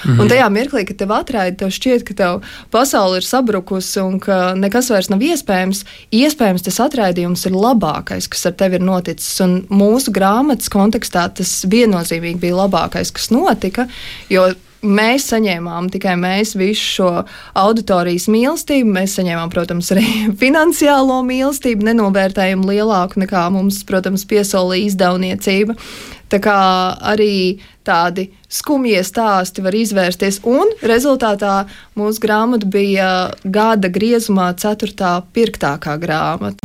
Un tajā mirklī, kad tev atraida, tev šķiet, ka tev pasaule ir sabrukusi un ka nekas vairs nav iespējams, tas atraidījums ir labākais, kas ar tevi ir noticis. Un mūsu grāmatas kontekstā tas viennozīmīgi bija labākais, kas notika, jo mēs saņēmām tikai visu šo auditorijas mīlestību. Mēs saņēmām, protams, arī finansiālo mīlestību, nenovērtējumu lielāku nekā mums, protams, piesolīja izdevniecība. Tā kā arī tādi skumjie stāsti var izvērsties, un rezultātā mūsu grāmata bija gada griezumā 4. pirktākā grāmata.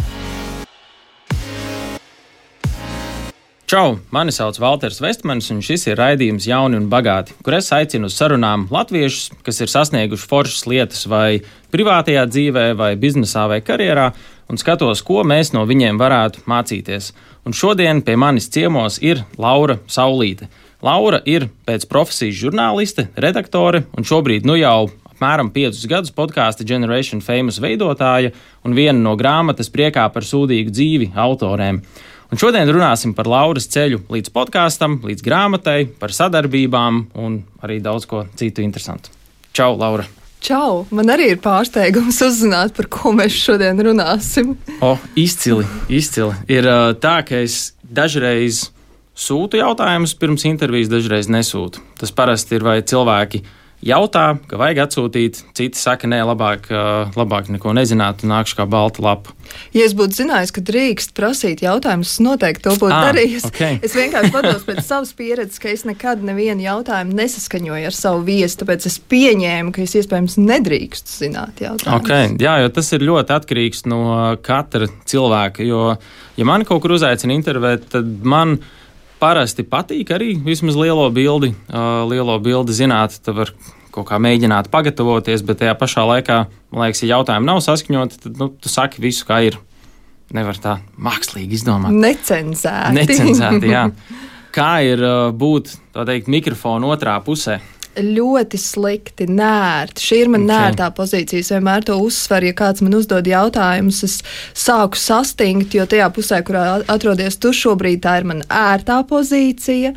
Čau, mani sauc Valters Vestmanis, un šis ir raidījums Jauni un bagāti, kur es aicinu uz sarunām latviešus, kas ir sasnieguši foršas lietas vai privātajā dzīvē, vai biznesā, vai karjerā, un skatos, ko mēs no viņiem varētu mācīties. Un šodien pie manis ciemos ir Laura Saulīte. Laura ir pēc profesijas žurnāliste, redaktore, un šobrīd jau apmēram 5 gadus podkāsta Generation Famous veidotāja un viena no grāmatas Priekā par sūdīgu dzīvi autorēm. Un šodien runāsim par Lauras ceļu līdz podkāstam, līdz grāmatai, par sadarbībām un arī daudz ko citu interesantu. Čau, Laura! Čau! Man arī ir pārsteigums uzzināt, par ko mēs šodien runāsim. Izcili. Ir tā, ka es dažreiz sūtu jautājumus pirms intervijas, dažreiz nesūtu. Tas parasti ir, vai cilvēki jautā, ka vajag atsūtīt, citi saka, nē, labāk neko nezināt un nākšu kā balta lapa. Ja es būtu zinājis, ka drīkst prasīt jautājumus, es noteikti to būtu darījis. Okay. Es vienkārši pados pēc savas pieredzes, ka es nekad nevienu jautājumu nesaskaņoju ar savu viesi, tāpēc es pieņēmu, ka es iespējams nedrīkstu zināt jautājumus. Okay. Jā, jo tas ir ļoti atkarīgs no katra cilvēka, jo, ja mani kaut kur uzaicina intervēt, tad man parasti patīk arī vismaz lielo bildi zināt, tad var kaut kā mēģināt pagatavoties, bet tajā pašā laikā, man liekas, ja jautājumi nav saskaņoti, tad tu saki visu, kā ir. Nevar tā mākslīgi izdomāt. Necenzēti, jā. Kā ir būt, tā teikt, mikrofonu otrā pusē? Ļoti slikti, nērti. Šī ir man nērtā pozīcija. Es vienmēr to uzsveru, ja kāds man uzdod jautājumus, es sāku sastingt, jo tajā pusē, kurā atrodies tu šobrīd, tā ir man ērtā pozīcija.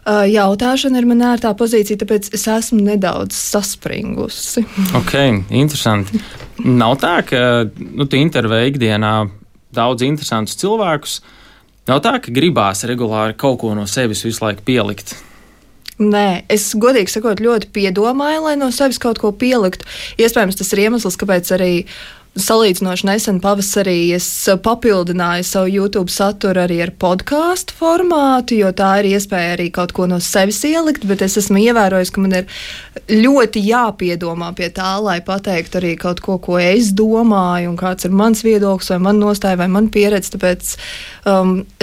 Jautāšana ir man ērtā pozīcija, tāpēc es esmu nedaudz saspringusi. Ok, interesanti. Nav tā, ka tu intervē ikdienā daudz interesantus cilvēkus. Nav tā, ka gribās regulāri kaut ko no sevis visu laiku pielikt. Nē, es godīgi sakot ļoti piedomāju, lai no sevis kaut ko pieliktu. Iespējams, tas ir iemesls, kāpēc arī salīdzinoši nesen pavasarī es papildināju savu YouTube saturu arī ar podkāstu formātu, jo tā ir iespēja arī kaut ko no sevis ielikt, bet es esmu ievērojis, ka man ir ļoti jāpiedomā pie tā, lai pateiktu arī kaut ko es domāju un kāds ir mans viedoklis vai man nostāja vai man pieredze, tāpēc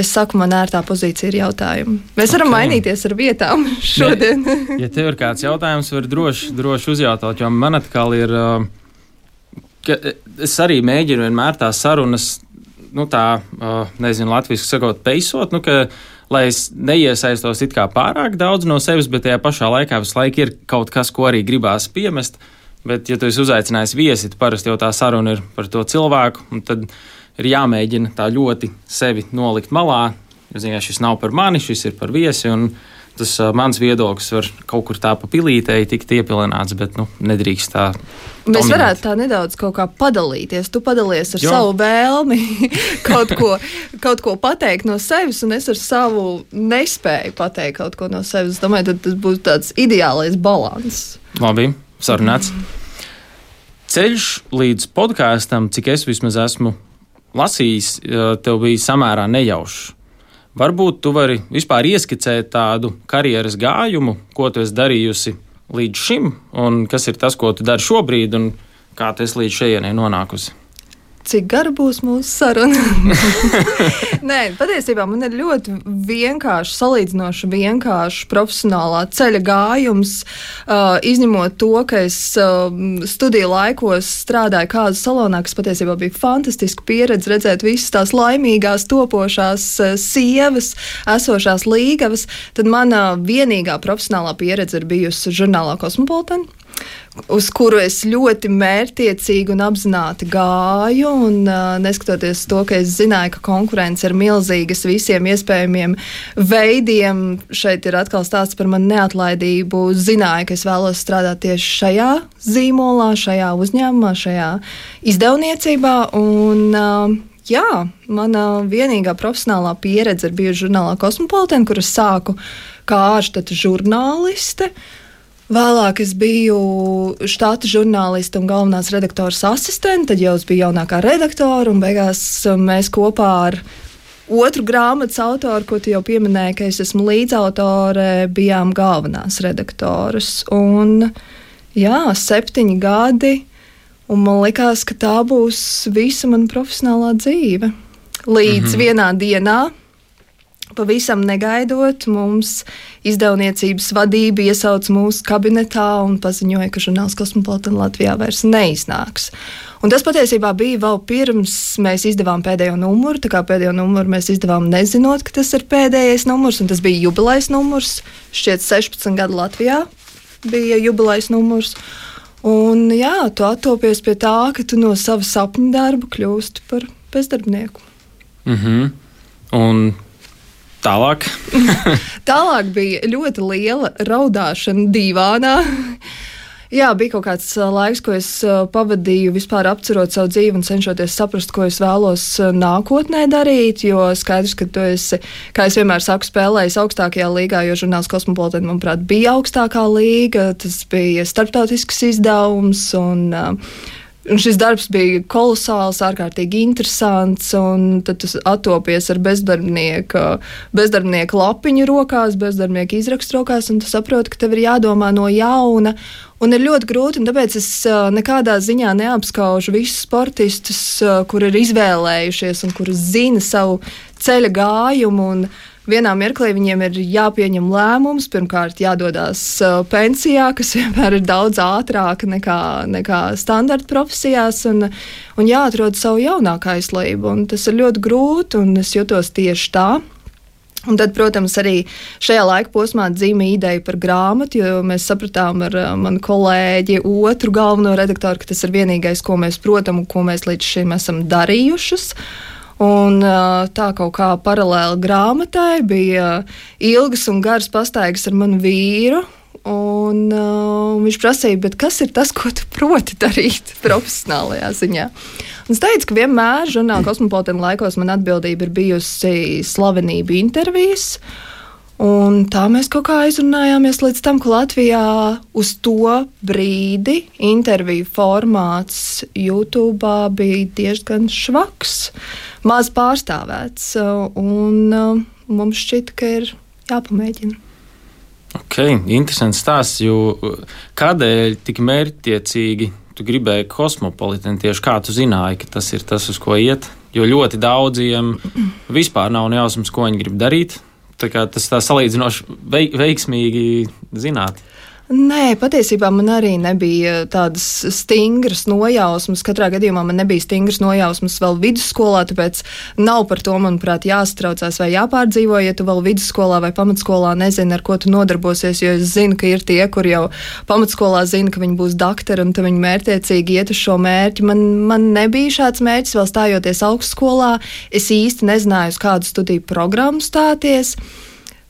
es saku, man ērtā pozīcija ir jautājumi. Mēs varam mainīties ar vietām šodien. Ja tev ir kāds jautājums, var droši uzjautāt, jo man atkal ir... Es arī mēģinu vienmēr tās sarunas, latviski sakot, peisot, lai es neiesaistos it kā pārāk daudz no sevis, bet tajā pašā laikā visu laiku ir kaut kas, ko arī gribās piemest. Bet, ja tu esi uzaicinājis viesi, tad parasti jau tā saruna ir par to cilvēku, un tad ir jāmēģina tā ļoti sevi nolikt malā. Šis nav par mani, šis ir par viesi, un tas mans viedoklis var kaut kur tā pa pilītei tikt iepilināts, bet nedrīkst tā dominēt. Mēs varētu tā nedaudz kaut kā padalīties. Tu padalies ar savu vēlmi kaut ko pateikt no sevis, un es ar savu nespēju pateikt kaut ko no sevis. Es domāju, tad tas būs tāds ideālais balans. Labi, sarunāts. Ceļš līdz podkāstam, cik es vismaz esmu lasījis, tev bija samērā nejaušs. Varbūt tu vari vispār ieskicēt tādu karjeras gājumu, ko tu esi darījusi līdz šim, un kas ir tas, ko tu dari šobrīd, un kā tu esi līdz šejienei nonākusi. Cik gara būs mūsu saruna? Nē, patiesībā man ir ļoti vienkārši, salīdzinoši vienkārši profesionālā ceļa gājums, izņemot to, ka es studiju laikos strādāju kāzu salonā, kas patiesībā bija fantastiska pieredze redzēt visas tās laimīgās, topošās sievas, esošās līgavas. Tad mana vienīgā profesionālā pieredze ir bijusi žurnālā Cosmopolitan, uz kuru es ļoti mērķtiecīgi un apzināti gāju. Un, neskatoties to, ka es zināju, ka konkurence ir milzīgas visiem iespējamiem veidiem, šeit ir atkal stāsts par manu neatlaidību. Zināju, ka es vēlos strādāt tieši šajā zīmolā, šajā uzņēmumā, šajā izdevniecībā. Un, jā, mana vienīgā profesionālā pieredze ir bijusi žurnālā Cosmopolitan, kur es sāku kā ārštata žurnāliste. Vēlāk es biju štata žurnāliste un galvenās redaktoras asistente, tad jau es biju jaunākā redaktora, un beigās mēs kopā ar otru grāmatas autoru, ko tu jau pieminēji, ka es esmu līdzautore, bijām galvenās redaktoras. Un jā, 7 gadi, un man likās, ka tā būs visa mana profesionālā dzīve. Līdz vienā dienā, pavisam negaidot, mums izdevniecības vadība iesauca mūsu kabinetā un paziņoja, ka žurnāls Cosmopolitan Latvijā vairs neiznāks. Un tas patiesībā bija vēl pirms mēs izdevām pēdējo numuru, tā kā pēdējo numuru mēs izdevām nezinot, ka tas ir pēdējais numurs, un tas bija jubilejas numurs, šķiet 16 gadu Latvijā bija jubilejas numurs. Un jā, tu attopies pie tā, ka tu no sava sapņu darba kļūsti par bezdarbnieku. Un tālāk? Tālāk bija ļoti liela raudāšana dīvānā. Jā, bija kaut kāds laiks, ko es pavadīju vispār apcerot savu dzīvi un cenšoties saprast, ko es vēlos nākotnē darīt, jo skaidrs, ka tu esi, kā es vienmēr saku, spēlējis augstākajā līgā, jo žurnāls Cosmopolitan, manuprāt, bija augstākā līga, tas bija starptautisks izdevums un šis darbs bija kolosāls, ārkārtīgi interesants, un tad tu attopies ar bezdarbnieka lapiņu rokās, bezdarbnieka izrakstu rokās, un tu saproti, ka tev ir jādomā no jauna, un ir ļoti grūti, un tāpēc es nekādā ziņā neapskaužu visus sportistus, kuri ir izvēlējušies un kuri zina savu ceļa gājumu, un vienā mirklī viņiem ir jāpieņem lēmums, pirmkārt jādodas pensijā, kas vienmēr ir daudz ātrāka nekā standarta profesijās, un jāatrod savu jaunāku aizlību. Un tas ir ļoti grūti, un es jutos tieši tā. Un tad, protams, arī šajā laika posmā dzīva ideja par grāmatu, jo mēs sapratām ar manu kolēģi otru galveno redaktoru, ka tas ir vienīgais, ko mēs protam un ko mēs līdz šim esam darījušas. Un tā kaut kā paralēli grāmatai bija ilgas un garas pastaigas ar manu vīru. Un viņš prasīja, bet kas ir tas, ko tu proti darīt profesionālajā ziņā? Un es teicu, ka vienmēr žurnāla Cosmopolitan laikos man atbildība ir bijusi slavenību intervijas. Un tā mēs kaut kā aizrunājāmies līdz tam, ka Latvijā uz to brīdi interviju formāts YouTube bija diezgan švaks, maz pārstāvēts, un mums šķita, ka ir jāpamēģina. Ok, interesants stāsts, jo kādēļ tik mērķtiecīgi tu gribēji Cosmopolitan, tieši kā tu zināji, ka tas ir tas, uz ko iet? Jo ļoti daudziem vispār nav nejausmas, ko viņi grib darīt. Tā kā tas tā salīdzinoši veiksmīgi zināt. Nē, patiesībā man arī nebija tādas stingras nojausmas. Katrā gadījumā man nebija stingras nojausmas vēl vidusskolā, tāpēc nav par to, manuprāt, jāsatraucās vai jāpārdzīvo, ja tu vēl vidusskolā vai pamatskolā nezini, ar ko tu nodarbosies, jo es zinu, ka ir tie, kur jau pamatskolā zina, ka viņi būs doktori un tad viņi mērķtiecīgi iet uz šo mērķi. Man nebija šāds mērķis vēl stājoties augstskolā. Es īsti nezināju, uz kādu studiju programmu stāties.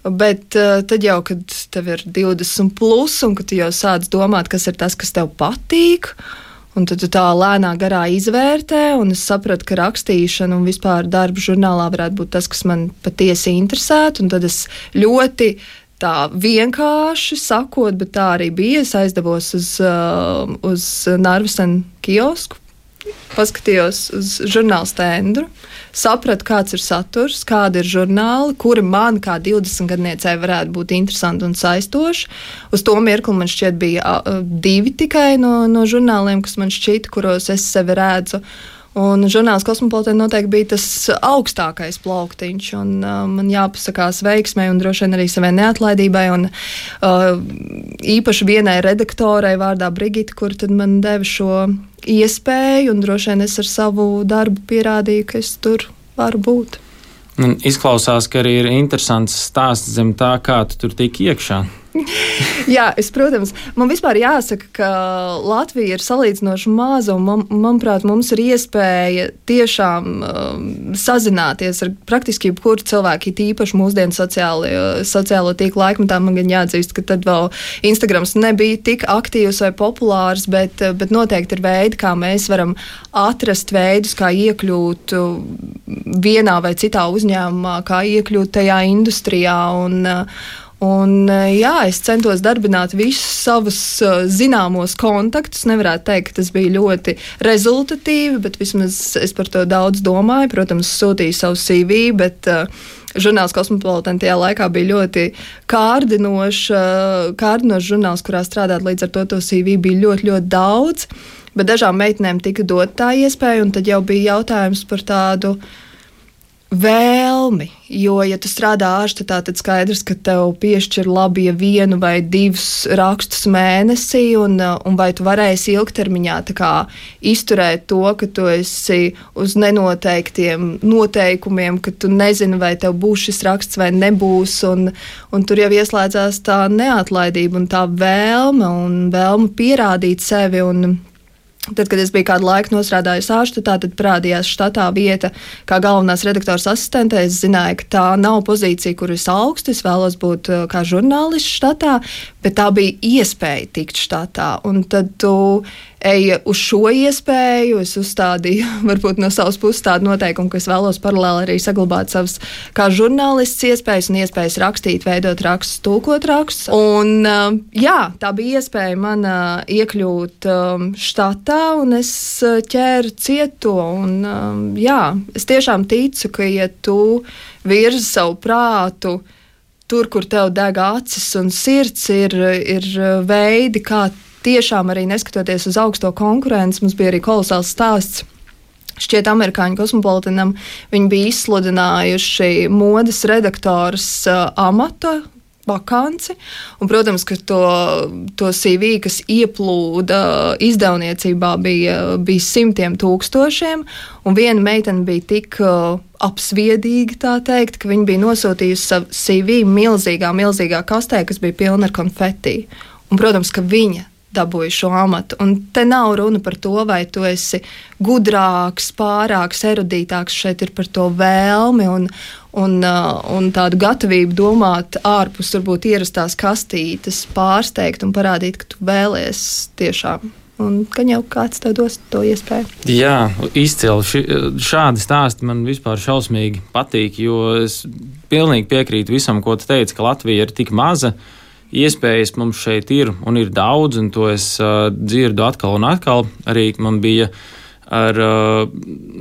Bet tad jau, kad tev ir 20 plus un kad tu jau sāc domāt, kas ir tas, kas tev patīk, un tad tu tā lēnā garā izvērtē, un es sapratu, ka rakstīšana un vispār darba žurnālā varētu būt tas, kas man patiesi interesētu, un tad es ļoti tā vienkārši sakot, bet tā arī bija, es aizdevos uz Narvesen kiosku, paskatījos uz žurnāla stendu, sapratu, kāds ir saturs, kādi ir žurnāli, kuri man kā 20-gadniecei varētu būt interesanti un saistoši. Uz to mirkli man šķiet bija 2 tikai no žurnāliem, kas man šķita, kuros es sevi redzu. Un žurnāls Cosmopolitan noteikti bija tas augstākais plauktiņš, un man jāpasakās veiksmē un droši vien arī savai neatlaidībai, un īpaši vienai redaktorai vārdā Brigita, kur tad man deva šo iespēju, un droši vien es ar savu darbu pierādīju, ka es tur varu būt. Izklausās, ka arī ir interesants stāsts zem tā, kā tu tur tiki iekšā. Jā, protams, man vispār jāsaka, ka Latvija ir salīdzinoši maza, un manuprāt, mums ir iespēja tiešām sazināties ar praktiski jebkuru cilvēku, īpaši mūsdienu sociālo tīklu laikmetā. Man gan jāatzīst, ka tad vēl Instagrams nebija tik aktīvs vai populārs, bet noteikti ir veidi, kā mēs varam atrast veidus, kā iekļūt vienā vai citā uzņēmumā, kā iekļūt tajā industrijā. Un jā, es centos darbināt visus savus zināmos kontaktus. Nevarētu teikt, ka tas bija ļoti rezultatīvi, bet vismaz es par to daudz domāju. Protams, sūtīju savu CV, bet žurnāls Cosmopolitan tajā laikā bija ļoti kārdinošs žurnāls, kurā strādāt, līdz ar to CV bija ļoti, ļoti daudz. Bet dažām meitenēm tika dot tā iespēja, un tad jau bija jautājums par tādu vēlmi, jo, ja tu strādā ārštatā, tad skaidrs, ka tev piešķir labi, ja 1 vai 2 rakstus mēnesī, un vai tu varēsi ilgtermiņā tā kā izturēt to, ka tu esi uz nenoteiktiem noteikumiem, ka tu nezini, vai tev būs šis raksts vai nebūs, un tur jau ieslēdzās tā neatlaidība un tā vēlme pierādīt sevi. Un tad, kad es biju kādu laiku nostrādājusi ārštatā, tad parādījās štatā vieta kā galvenās redaktors asistente. Es zināju, ka tā nav pozīcija, kur es augstu. Es vēlos būt kā žurnālists štatā, bet tā bija iespēja tikt štatā. Un tad tu eji uz šo iespēju. Es uzstādīju varbūt no savas puses tādu noteikumu, ka es vēlos paralēli arī saglabāt savas kā žurnālists iespējas un iespējas rakstīt, veidot rakstus, tulkot rakstus. Un jā, tā bija iespēja man iekļūt štatā, un es ķēru cieto. Un jā, es tiešām ticu, ka ja tu virzi savu prātu tur, kur tev deg acis un sirds, ir veidi, kā tiešām arī neskatoties uz augsto konkurenci. Mums bija arī kolosāls stāsts. Šķiet, amerikāņu Cosmopolitanam viņi bija izsludinājuši modes redaktors amata vakanci. Un, protams, ka to CV, kas ieplūda izdevniecībā, bija 100 000. Un viena meitene bija tik apsviedīga, tā teikt, ka viņa bija nosūtījusi savu CV milzīgā kastē, kas bija pilna ar konfeti. Un, protams, ka viņa dabūju šo amatu. Un te nav runa par to, vai tu esi gudrāks, pārāks, erudītāks. Šeit ir par to vēlmi un tādu gatavību domāt ārpus varbūt ierastās kastītes, pārsteigt un parādīt, ka tu vēlies tiešām. Un ka jau kāds tev dos to iespēju. Jā, izcili. Šādi stāsti man vispār šausmīgi patīk, jo es pilnīgi piekrītu visam, ko tu teici, ka Latvija ir tik maza. Iespējas mums šeit ir un ir daudz, un to es dzirdu atkal un atkal. Arī man bija ar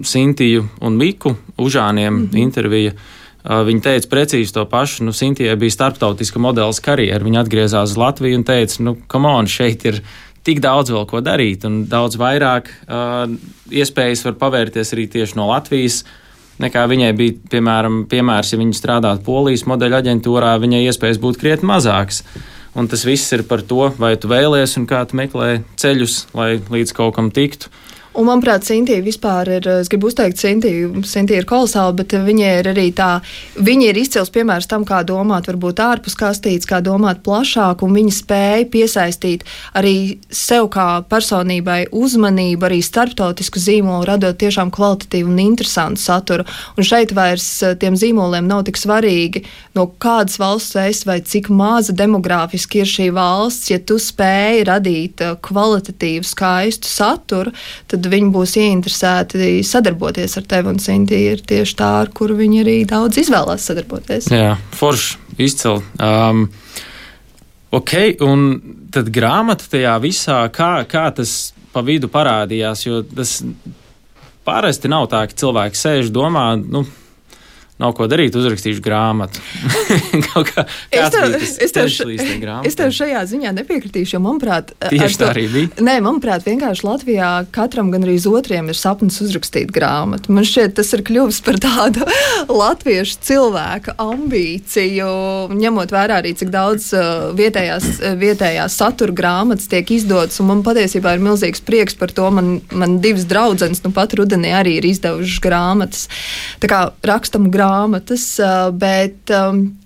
Sintiju un Miku Užāniem intervija. Viņa teica precīzi to pašu. Sintijai bija starptautiska modeles karjera. Viņa atgriezās uz Latviju un teica, come on, šeit ir tik daudz vēl ko darīt, un daudz vairāk iespējas var pavērties arī tieši no Latvijas. Nekā viņai bija, piemērs, ja viņa strādātu Polijas modeļu aģentūrā, viņai iespējas būtu krietni mazākas. Un tas viss ir par to, vai tu vēlies un kā tu meklē ceļus, lai līdz kaut kam tiktu. Un, manuprāt, Sintija vispār ir, es gribu uzteikt Sintija ir kolosāla, bet viņa ir arī viņa ir izcils piemērs tam, kā domāt varbūt ārpus kastītes, kā domāt plašāk, un viņa spēja piesaistīt arī sev kā personībai uzmanību, arī starptautisku zīmolu, radot tiešām kvalitatīvu un interesantu saturu. Un šeit vairs tiem zīmoliem nav tik svarīgi, no kādas valsts esi vai cik maza demogrāfiski ir šī valsts. Ja tu spēji radīt kvalitatīvu, skaistu saturu, tad viņi būs ieinteresēti sadarboties ar tevi, un Sintija ir tieši tā, ar kuru viņi arī daudz izvēlās sadarboties. Jā, forši, izcili. Ok, un tad grāmata tajā visā, kā tas pa vidu parādījās, jo tas parasti nav tā, ka cilvēki sēž domā, nav ko darīt, uzrakstīšu grāmatu. Es tev šajā ziņā nepiekritīšu, jo, manuprāt, tieši tā arī bija. Nē, manuprāt, vienkārši Latvijā katram gan arī otriem ir sapnis uzrakstīt grāmatu. Man šķiet, tas ir kļuvis par tādu latviešu cilvēka ambīciju, ņemot vērā arī, cik daudz vietējās satura grāmatas tiek izdotas, un man patiesībā ir milzīgs prieks par to. Man 2 draudzenes pat rudenī arī ir izdevušas grāmatas. Tā kā rakstam grāmatu grāmatas, bet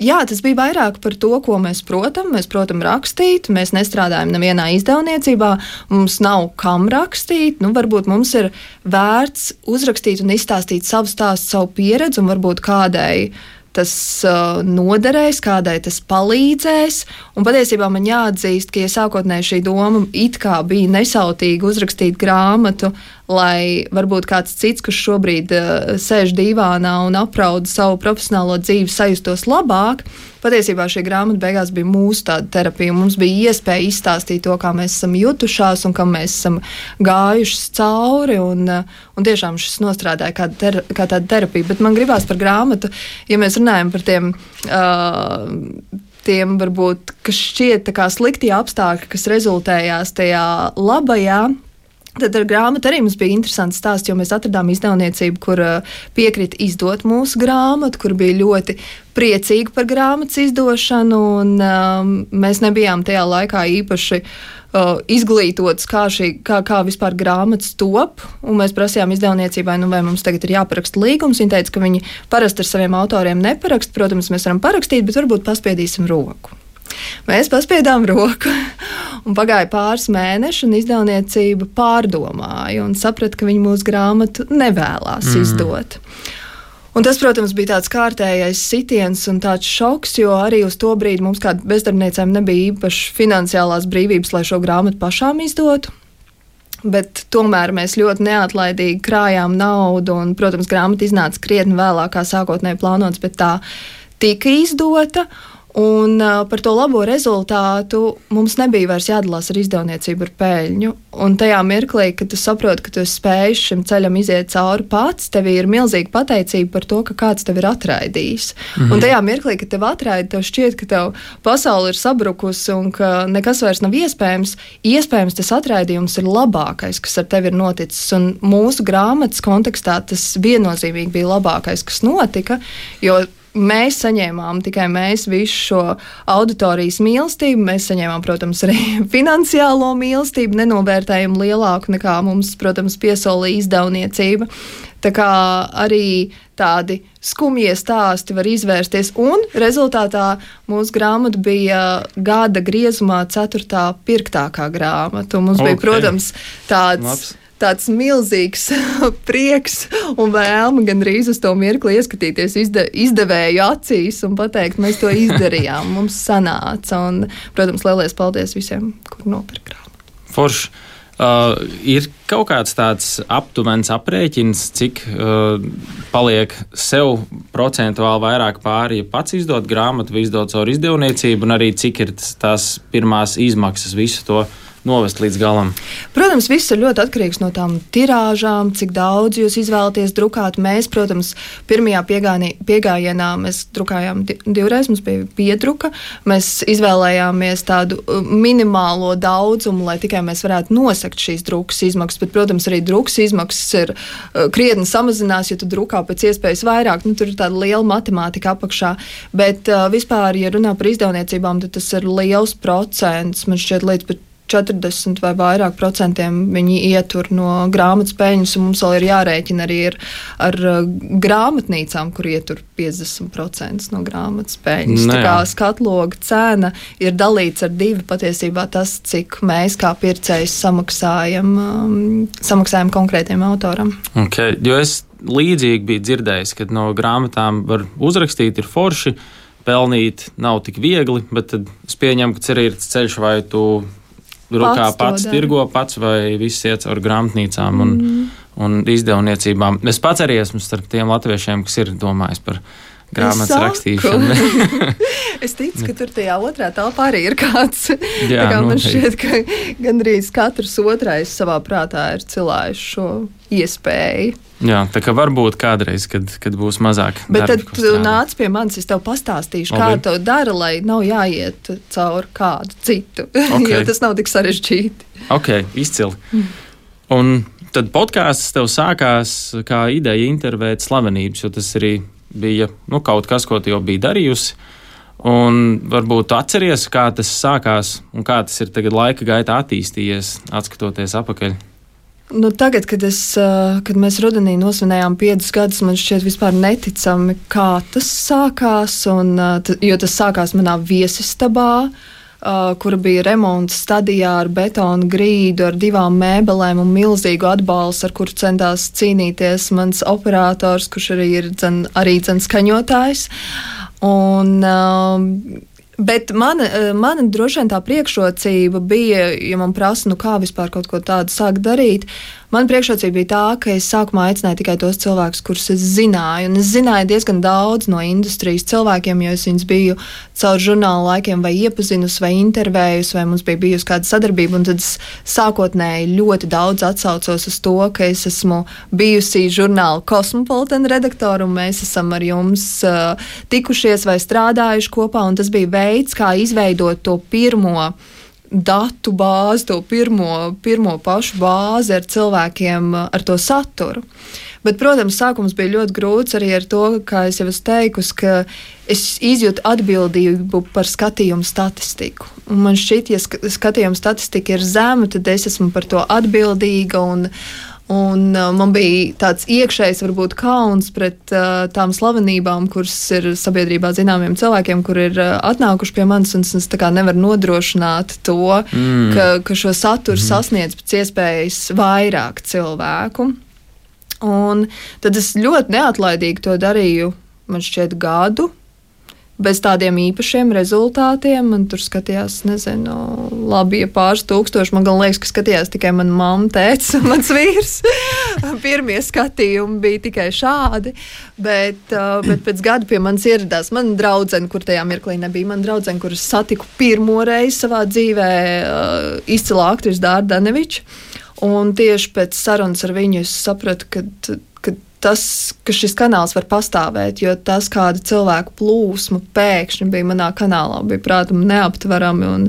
jā, tas bija vairāk par to, ko mēs protam. Mēs protam rakstīt, mēs nestrādājam nevienā izdevniecībā, mums nav kam rakstīt. Varbūt mums ir vērts uzrakstīt un izstāstīt savu stāstu, savu pieredzi, un varbūt kādai tas noderēs, kādai tas palīdzēs. Un patiesībā man jāatzīst, ka sākotnēji šī doma it kā bija nesautīgi uzrakstīt grāmatu, lai varbūt kāds cits, kurš šobrīd sēž divānā un aprauda savu profesionālo dzīvi, sajustos labāk. Patiesībā šī grāmata beigās bija mūsu tāda terapija. Mums bija iespēja izstāstīt to, kā mēs esam jutušās un kam mēs esam gājušas cauri. Un tiešām šis nostrādāja kā tāda terapija. Bet man gribās par grāmatu, ja mēs runājam par tiem varbūt, kas šķiet tā kā sliktie apstākļi, kas rezultējās tajā labajā. Tad ar grāmatu arī mums bija interesants stāsts, jo mēs atradām izdevniecību, kur piekrita izdot mūsu grāmatu, kur bija ļoti priecīgi par grāmatas izdošanu, un mēs nebijām tajā laikā īpaši izglītots, kā vispār grāmatas top, un mēs prasījām izdevniecībai, vai mums tagad ir jāparaksta līgums. Viņi teica, ka viņi parasti ar saviem autoriem neparakst, protams, mēs varam parakstīt, bet varbūt paspiedīsim roku. Mēs paspiedām roku, un pagāja pāris mēneši, un izdevniecība pārdomāja un saprata, ka viņi mūsu grāmatu nevēlās izdot. Un tas, protams, bija tāds kārtējais sitiens un tāds šoks, jo arī uz to brīdi mums kā bezdarbniecēm nebija īpaši finansiālās brīvības, lai šo grāmatu pašām izdotu. Bet tomēr mēs ļoti neatlaidīgi krājām naudu, un, protams, grāmata iznāca krietni vēlāk, kā sākotnēji plānots, bet tā tika izdota. Un par to labo rezultātu mums nebija vairs jādalās ar izdevniecību ar peļņu. Un tajā mirklī, kad tu saproti, ka tu esi spējis šim ceļam iziet cauri pats, tev ir milzīga pateicība par to, ka kāds tev ir atraidījis. Un tajā mirklī, kad tev atraida, tev šķiet, ka tev pasaule ir sabrukusi un ka nekas vairs nav iespējams. Iespējams, tas atraidījums ir labākais, kas ar tevi ir noticis. Un mūsu grāmatas kontekstā tas viennozīmīgi bija labākais, kas notika, jo mēs saņēmām tikai visu šo auditorijas mīlestību. Mēs saņēmām, protams, arī finansiālo mīlestību, nenovērtējumu lielāku nekā mums, protams, piesolīja izdevniecība. Tā kā arī tādi skumjie stāsti var izvērsties, un rezultātā mūsu grāmata bija gada griezumā 4. pirktākā grāmata. Un mums bija, protams, tāds milzīgs prieks un vēlme gandrīz uz to mirkli ieskatīties izdevēju acīs un pateikt, mēs to izdarījām, mums sanāca. Un, protams, lielais paldies visiem, kur nopirka grāmatu. Forši. Ir kaut kāds tāds aptuvens aprēķins, cik paliek sev procentuāli vairāk pāri, ja pats izdot grāmatu vai izdot caur izdevniecību, un arī cik ir tās pirmās izmaksas visu to novest līdz galam? Protams, viss ir ļoti atkarīgs no tām tirāžām, cik daudz jūs izvēlaties drukāt. Mēs, protams, pirmajā piegājienā mēs drukājām divreiz, mums bija piedruka. Mēs izvēlējāmies tādu minimālo daudzumu, lai tikai mēs varētu nosekt šīs drukas izmaksas. Bet, protams, arī drukas izmaksas ir krietni samazinās, ja tu drukā pēc iespējas vairāk. Tur ir tāda liela matemātika apakšā. Bet vispār, ja runā par izdevniecībām, tad tas ir liels procents. Man šķiet līdz pat 40 vai vairāk procentiem viņi ietur no grāmatas peļņas, un mums vēl ir jārēķina arī ar grāmatnīcām, kur ietur 50% no grāmatas peļņas. Tā kā skatloga cena ir dalīts ar 2 patiesībā tas, cik mēs kā pircējs samaksājam konkrētiem autoram. Okay, jo es līdzīgi biju dzirdējis, ka no grāmatām var uzrakstīt, ir forši, pelnīt nav tik viegli, bet tad es pieņemu, ka arī ir ceļš, vai tu rokā pats tirgo pats vai viss iet caur grāmatnīcām un izdevniecībām. Es pats arī esmu starp tiem latviešiem, kas ir domājis par grāmatas rakstīšanu. Es ticu, ka tur tajā otrā telpā arī ir kāds. Jā, tā kā man šķiet, ka gandrīz katrs otrais savā prātā ir cilājis šo iespēju. Jā, tā kā varbūt kādreiz, kad būs mazāk. Bet tad tu nāc pie manis, es tev pastāstīšu, kā to dara, lai nav jāiet cauri kādu citu, jo tas nav tik sarežģīti. Ok, izcili. Un tad podkāsts tev sākās kā ideja intervēt slavenības, jo tas arī bija kaut kas, ko tu jau biji darījusi. Un varbūt tu atceries, kā tas sākās un kā tas ir tagad laika gaitā attīstījies, atskatoties apakaļ. Nu, tagad, kad mēs rudenī nosvinējām 5 gadus, man šķiet vispār neticami, kā tas sākās. Jo tas sākās manā viesistabā, kura bija remonta stadijā ar betonu grīdu, ar 2 mēbelēm un milzīgu atbalstu, ar kuru centās cīnīties mans operators, kurš arī ir arī skaņotājs. Bet mana droši vien tā priekšrocība bija, ja man prasa, kā vispār kaut ko tādu sākt darīt, man priekšrocība bija tā, ka es sākumā aicināju tikai tos cilvēkus, kurus es zināju. Un es zināju diezgan daudz no industrijas cilvēkiem, jo es viņus biju caur žurnālu laikiem vai iepazinusi, vai intervējusi, vai mums bija bijusi kāda sadarbība. Un tad es sākotnēji ļoti daudz atsaucos uz to, ka es esmu bijusi žurnāla Cosmopolitan redaktora, un mēs esam ar jums tikušies vai strādājuši kopā. Un tas bija veids, kā izveidot to pirmo datu bāzi, to pirmo pašu bāzi ar cilvēkiem, ar to saturu. Bet, protams, sākums bija ļoti grūts arī ar to, kā es jau esmu teikusi, ka es izjūtu atbildību par skatījumu statistiku. Un man šķiet, ja skatījuma statistika ir zema, tad es esmu par to atbildīga un man bija tāds iekšējs varbūt kauns pret tām slavenībām, kuras ir sabiedrībā zināmiem cilvēkiem, kur ir atnākuši pie manis, un es tā kā nevaru nodrošināt to, ka šo saturu sasniedz pēc iespējas vairāk cilvēku. Un tad es ļoti neatlaidīgi to darīju, man šķiet, gadu, bez tādiem īpašiem rezultātiem. Man tur skatījās, nezinu, labi, ja pāris tūkstoši. Man gan liekas, ka skatījās tikai mana mamma, tētis un mans vīrs. Pirmie skatījumi bija tikai šādi. Bet pēc gada pie manis ieradās mana draudzene, kur tajā mirklī nebija. Mana draudzene, kuras satiku pirmo reizi savā dzīvē, izcilā aktrise Dārta Daneviča. Un tieši pēc sarunas ar viņu es sapratu, ka šis kanāls var pastāvēt, jo tas, kāda cilvēku plūsma pēkšņi bija manā kanālā, bija prātam neaptverami.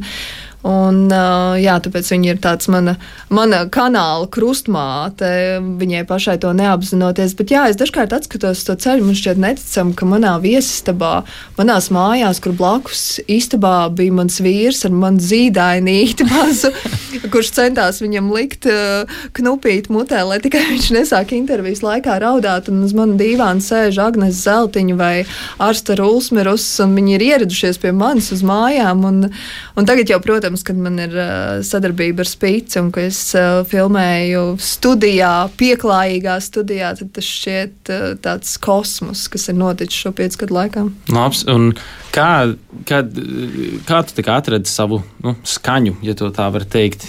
Tāpēc viņa ir tāds mana kanāla krustmāte, viņai pašai to neapzinoties. Bet es dažkārt atskatos to ceļu, man šķiet neticam, ka manā viesistabā, manās mājās, kur blakus istabā bija mans vīrs ar manu zīdainīti mazu, kurš centās viņam likt knupīt mutē, lai tikai viņš nesāk intervijas laikā raudāt, un uz manu dīvānu sēž Agnes Zeltiņa vai Arsta Rulsmerus, un viņi ir ieradušies pie manis uz mājām, un tagad jau, protams, kad man ir sadarbība ar Spīci un ka es filmēju studijā, pieklājīgā studijā, tad tas šķiet tāds kosmos, kas ir noticis šo 5 gadu laikā. Labs, un kā tu tik atradi savu skaņu, ja to tā var teikt?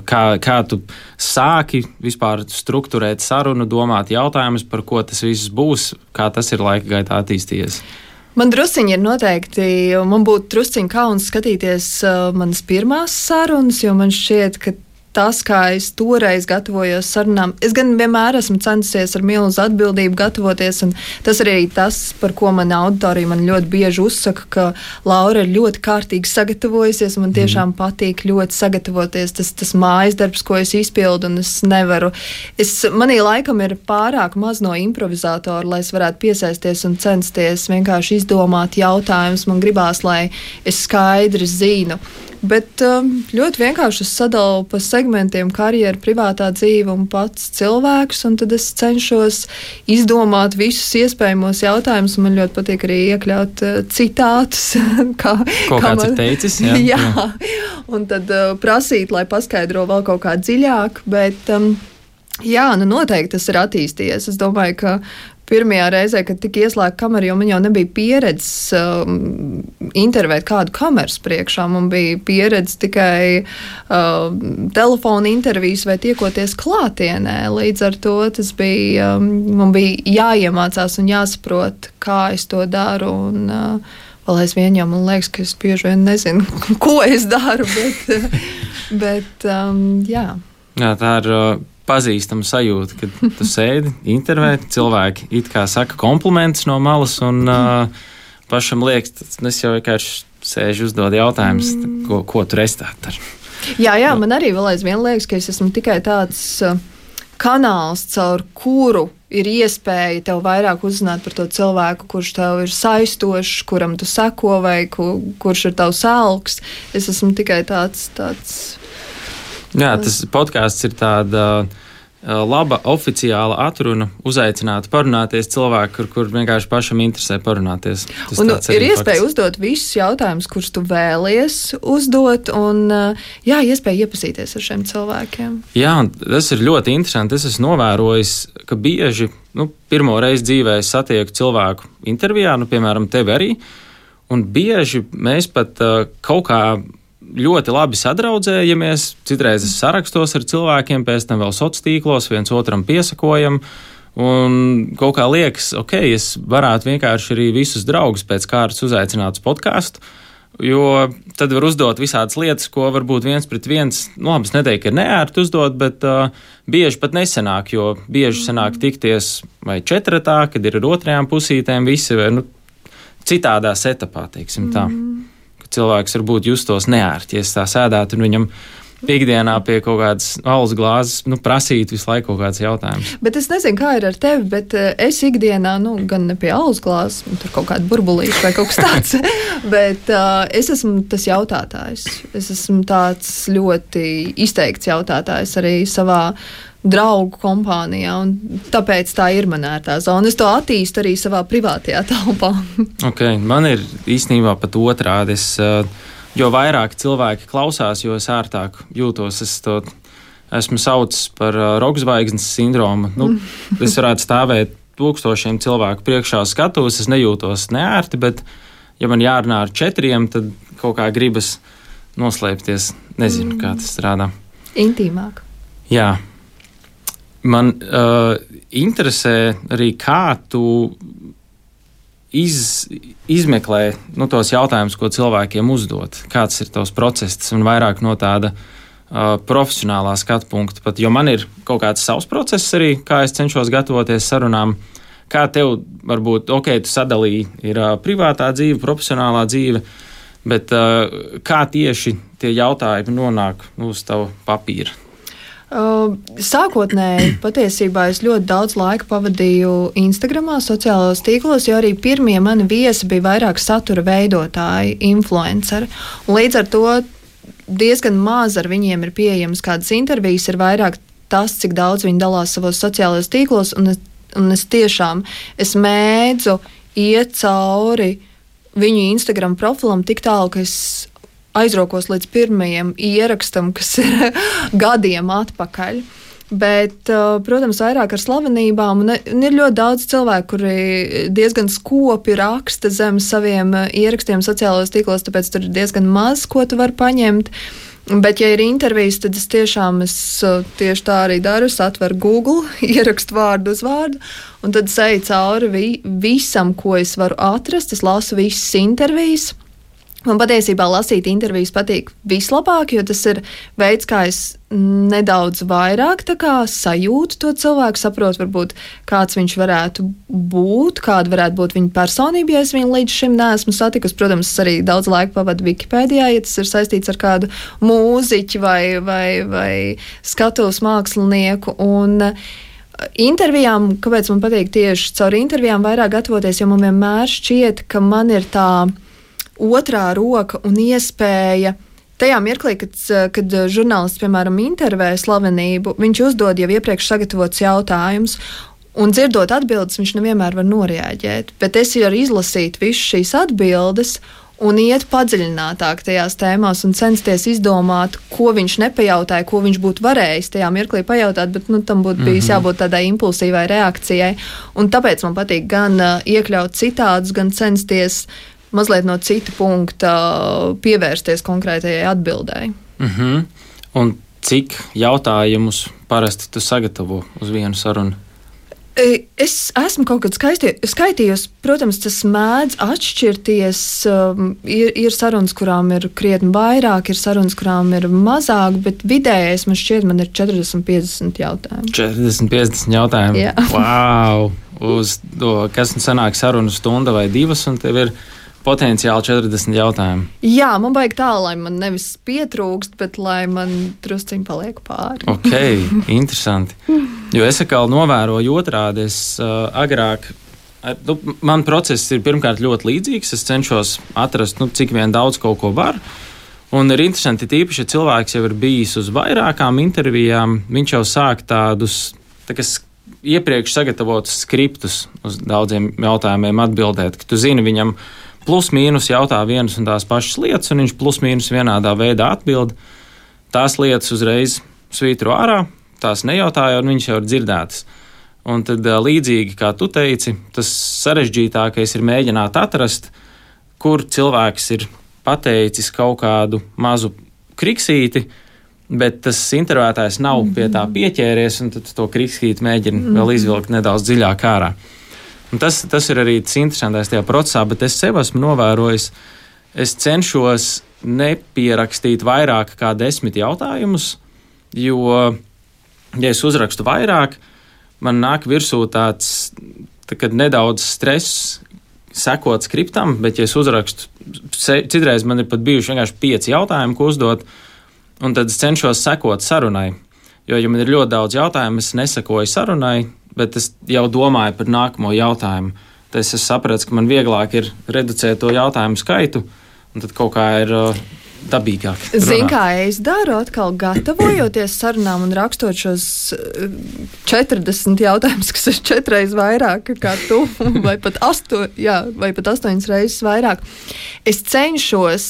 Kā tu sāki vispār strukturēt sarunu, domāt jautājumus, par ko tas viss būs, kā tas ir laika gaitā attīstījies? Man drusciņi ir noteikti, man būtu drusciņi kauns skatīties manas pirmās sarunas, jo man šķiet, ka tas, kā es toreiz gatavojos sarunām, es gan vienmēr esmu centusies ar milzu atbildību gatavoties, un tas arī tas, par ko mana auditorija man ļoti bieži uzsaka, ka Laura ir ļoti kārtīgi sagatavojusies, un man tiešām patīk ļoti sagatavoties, tas mājas darbs, ko es izpildu, un es nevaru. Manī laikam ir pārāk maz no improvizātora, lai es varētu piesaisties un censties vienkārši izdomāt jautājumus. Man gribās, lai es skaidri zinu. Bet ļoti vienkārši es sadalu pa segmentiem karjeru, privātā dzīve un pats cilvēks, un tad es cenšos izdomāt visus iespējamos jautājumus. Man ļoti patīk arī iekļaut citātus. Kāds ir teicis? Jā. Un tad prasīt, lai paskaidro vēl kaut kā dziļāk, bet noteikti tas ir attīstījies. Es domāju, ka pirmajā reizē, kad tika ieslēgta kamera, jo man jau nebija pieredzes intervēt kādu kameras priekšā. Man bija pieredze tikai telefona intervijas vai tiekoties klātienē. Līdz ar to man bija jāiemācās un jāsaprot, kā es to daru. Un, vēl aizvien jau man liekas, ka es bieži vien nezinu, ko es daru, bet jā. Jā, tā ir pazīstama sajūta, kad tu sēdi, intervē, cilvēki it kā saka komplimentus no malas, un pašam liekas, es jau vienkārši sēžu uzdod jautājumus, ko tu esi tā dar. Jā, man arī vēl aizvien liekas, ka es esmu tikai tāds kanāls, caur kuru ir iespēja tev vairāk uzzināt par to cilvēku, kurš tev ir saistošs, kuram tu seko vai kurš ir tavs alks. Es esmu tikai tāds. Jā, tas podkāsts ir tāda laba oficiāla atruna uzaicināt parunāties cilvēku, kur vienkārši pašam interesē parunāties. Un ir iespēja uzdot visus jautājumus, kurus tu vēlies uzdot, un iespēja iepazīties ar šiem cilvēkiem. Jā, un tas ir ļoti interesanti. Es esmu novērojis, ka bieži, pirmo reizi dzīvē es satieku cilvēku intervijā, piemēram, tevi arī, un bieži mēs pat kaut kā ļoti labi sadraudzējamies, citreiz es sarakstos ar cilvēkiem, pēc tam vēl sociālos tīklos, viens otram piesakojam, un kaut kā liekas, es varētu vienkārši arī visus draugus pēc kārtas uzaicināt uz podcastu, jo tad var uzdot visādas lietas, ko varbūt viens pret viens, labi, es neteiktu, ka ir neērti uzdot, bet bieži pat nesanāk, jo bieži sanāk tikties vai četratā, kad ir ar otrajām pusītēm visi, citādā setupā, teiksim tā. Cilvēks varbūt justos neērti, ja es tā sēdētu un viņam ikdienā pie kaut kādas alus glāzes prasītu visu laiku kaut kāds jautājums. Bet es nezinu, kā ir ar tevi, bet es ikdienā, gan ne pie alus glāzes, tur kaut kāda burbulīša vai kaut kas tāds, bet es esmu tas jautātājs. Es esmu tāds ļoti izteikts jautātājs arī savā draugu kompānijā, un tāpēc tā ir man ērtā zona. Es to attīstu arī savā privātajā telpā. Man ir īstenībā pat otrādi. Jo vairāk cilvēki klausās, jo es ērtāk jūtos. Es to esmu saucis par rokzvaigznes sindromu. Es varētu stāvēt tūkstošiem cilvēku priekšā skatos, es nejūtos neērti, bet ja man jārunā ar 4, tad kaut kā gribas noslēpties. Nezinu, kā tas strādā. Intīmāk. Jā. Man interesē arī, kā tu izmeklē tos jautājumus, ko cilvēkiem uzdot. Kāds ir tavs process un vairāk no tāda profesionālā skatu punkta. Pat, jo man ir kaut kāds savs process arī, kā es cenšos gatavoties sarunām. Kā tev varbūt, tu sadalīji, ir privātā dzīve, profesionālā dzīve, bet kā tieši tie jautājumi nonāk uz tavu papīra? Sākotnēji patiesībā es ļoti daudz laika pavadīju Instagramā, sociālajos tīklos, jo arī pirmie mani viesi bija vairāk satura veidotāji, influenceri. Un līdz ar to diezgan maz ar viņiem ir pieejamas kādas intervijas, ir vairāk tas, cik daudz viņi dalās savos sociālajos tīklos, un es tiešām mēdzu iet cauri viņu Instagram profilam tik tālu, ka es aizrokos līdz pirmajam ierakstam, kas ir gadiem atpakaļ. Bet, protams, vairāk ar slavenībām, un ir ļoti daudz cilvēku, kuri diezgan skopi raksta zem saviem ierakstiem sociālajos tīklos, tāpēc tur ir diezgan maz, ko tu vari paņemt. Bet, ja ir intervijas, tad es tieši tā arī daru. Es atveru Google, ierakstu vārdu uz vārdu, un tad eju cauri visam, ko es varu atrast. Es lasu visas intervijas. Man patiesībā lasīt intervijas patīk vislabāk, jo tas ir veids, kā es nedaudz vairāk sajūtu to cilvēku, saprotu, varbūt kāds viņš varētu būt, kāda varētu būt viņa personība, ja es viņu līdz šim neesmu satikusi. Protams, es arī daudz laika pavadu Wikipēdijā, ja tas ir saistīts ar kādu mūziķu vai skatuves mākslinieku. Un intervijām, kāpēc man patīk tieši caur intervijām vairāk gatavoties, jo man vienmēr šķiet, ka man ir tā otrā roka un iespēja tajā mirklī, kad žurnālists, piemēram, intervē slavenību, viņš uzdod jau iepriekš sagatavots jautājumus, un dzirdot atbildes, viņš nevienmēr var noreaģēt. Bet es varu izlasīt visas šīs atbildes un iet padziļinātāk tajās tēmās un censties izdomāt, ko viņš nepajautāja, ko viņš būtu varējis tajā mirklī pajautāt, bet tam būtu bijis jābūt tādai impulsīvai reakcijai. Un tāpēc man patīk gan iekļaut citādus, gan censties mazliet no cita punkta pievērsties konkrētajai atbildēji. Un cik jautājumus parasti tu sagatavo uz vienu sarunu? Es esmu kaut kad skaitījusi, protams, tas mēdz atšķirties. Ir sarunas, kurām ir krietni vairāk, ir sarunas, kurām ir mazāk, bet vidējais man šķiet, man ir 40-50 jautājumu. 40-50 jautājumu? Jā. Wow! Uz to, kas sanāk sarunu stunda vai 2, un tev ir potenciāli 40 jautājumu. Jā, man vajag tā, lai man nevis pietrūkst, bet lai man drusciņi paliek pāri. Interesanti. Jo es atkal novēroju otrādi. Es agrāk, man process ir pirmkārt ļoti līdzīgs. Es cenšos atrast, cik vien daudz kaut ko var. Un ir interesanti, tīpaši, ja cilvēks jau ir bijis uz vairākām intervijām, viņš jau sāk tādus iepriekš sagatavotus skriptus uz daudziem jautājumiem atbildēt, ka tu zini, viņam plus mīnus jautā vienas un tās pašas lietas, un viņš plus mīnus vienādā veidā atbild. Tās lietas uzreiz svītro ārā, tās nejautāja, un viņš jau ir dzirdētas. Un tad līdzīgi, kā tu teici, tas sarežģītākais ir mēģināt atrast, kur cilvēks ir pateicis kaut kādu mazu kriksīti, bet tas intervētājs nav pie tā pieķēries, un tad to kriksīti mēģina vēl izvilkt nedaudz dziļāk ārā. Un tas ir arī tas interesantais tajā procesā, bet es sev esmu novērojis, es cenšos nepierakstīt vairāk kā 10 jautājumus, jo, ja es uzrakstu vairāk, man nāk virsū tāds nedaudz stress sekot skriptam, bet ja es uzrakstu, citreiz man ir pat bijuši vienkārši 5 jautājumi, ko uzdot, un tad es cenšos sekot sarunai. Jo, ja man ir ļoti daudz jautājumu, es nesekoju sarunai, bet es jau domāju par nākamo jautājumu. Tad es sapratu, ka man vieglāk ir reducēt to jautājumu skaitu, un tad kaut kā ir dabīgāk. Zini, kā es daru atkal gatavojoties sarunām un rakstot šos 40 jautājumus, kas ir 4 reizes vairāk kā tu, vai pat 8 reizes vairāk. Es cenšos,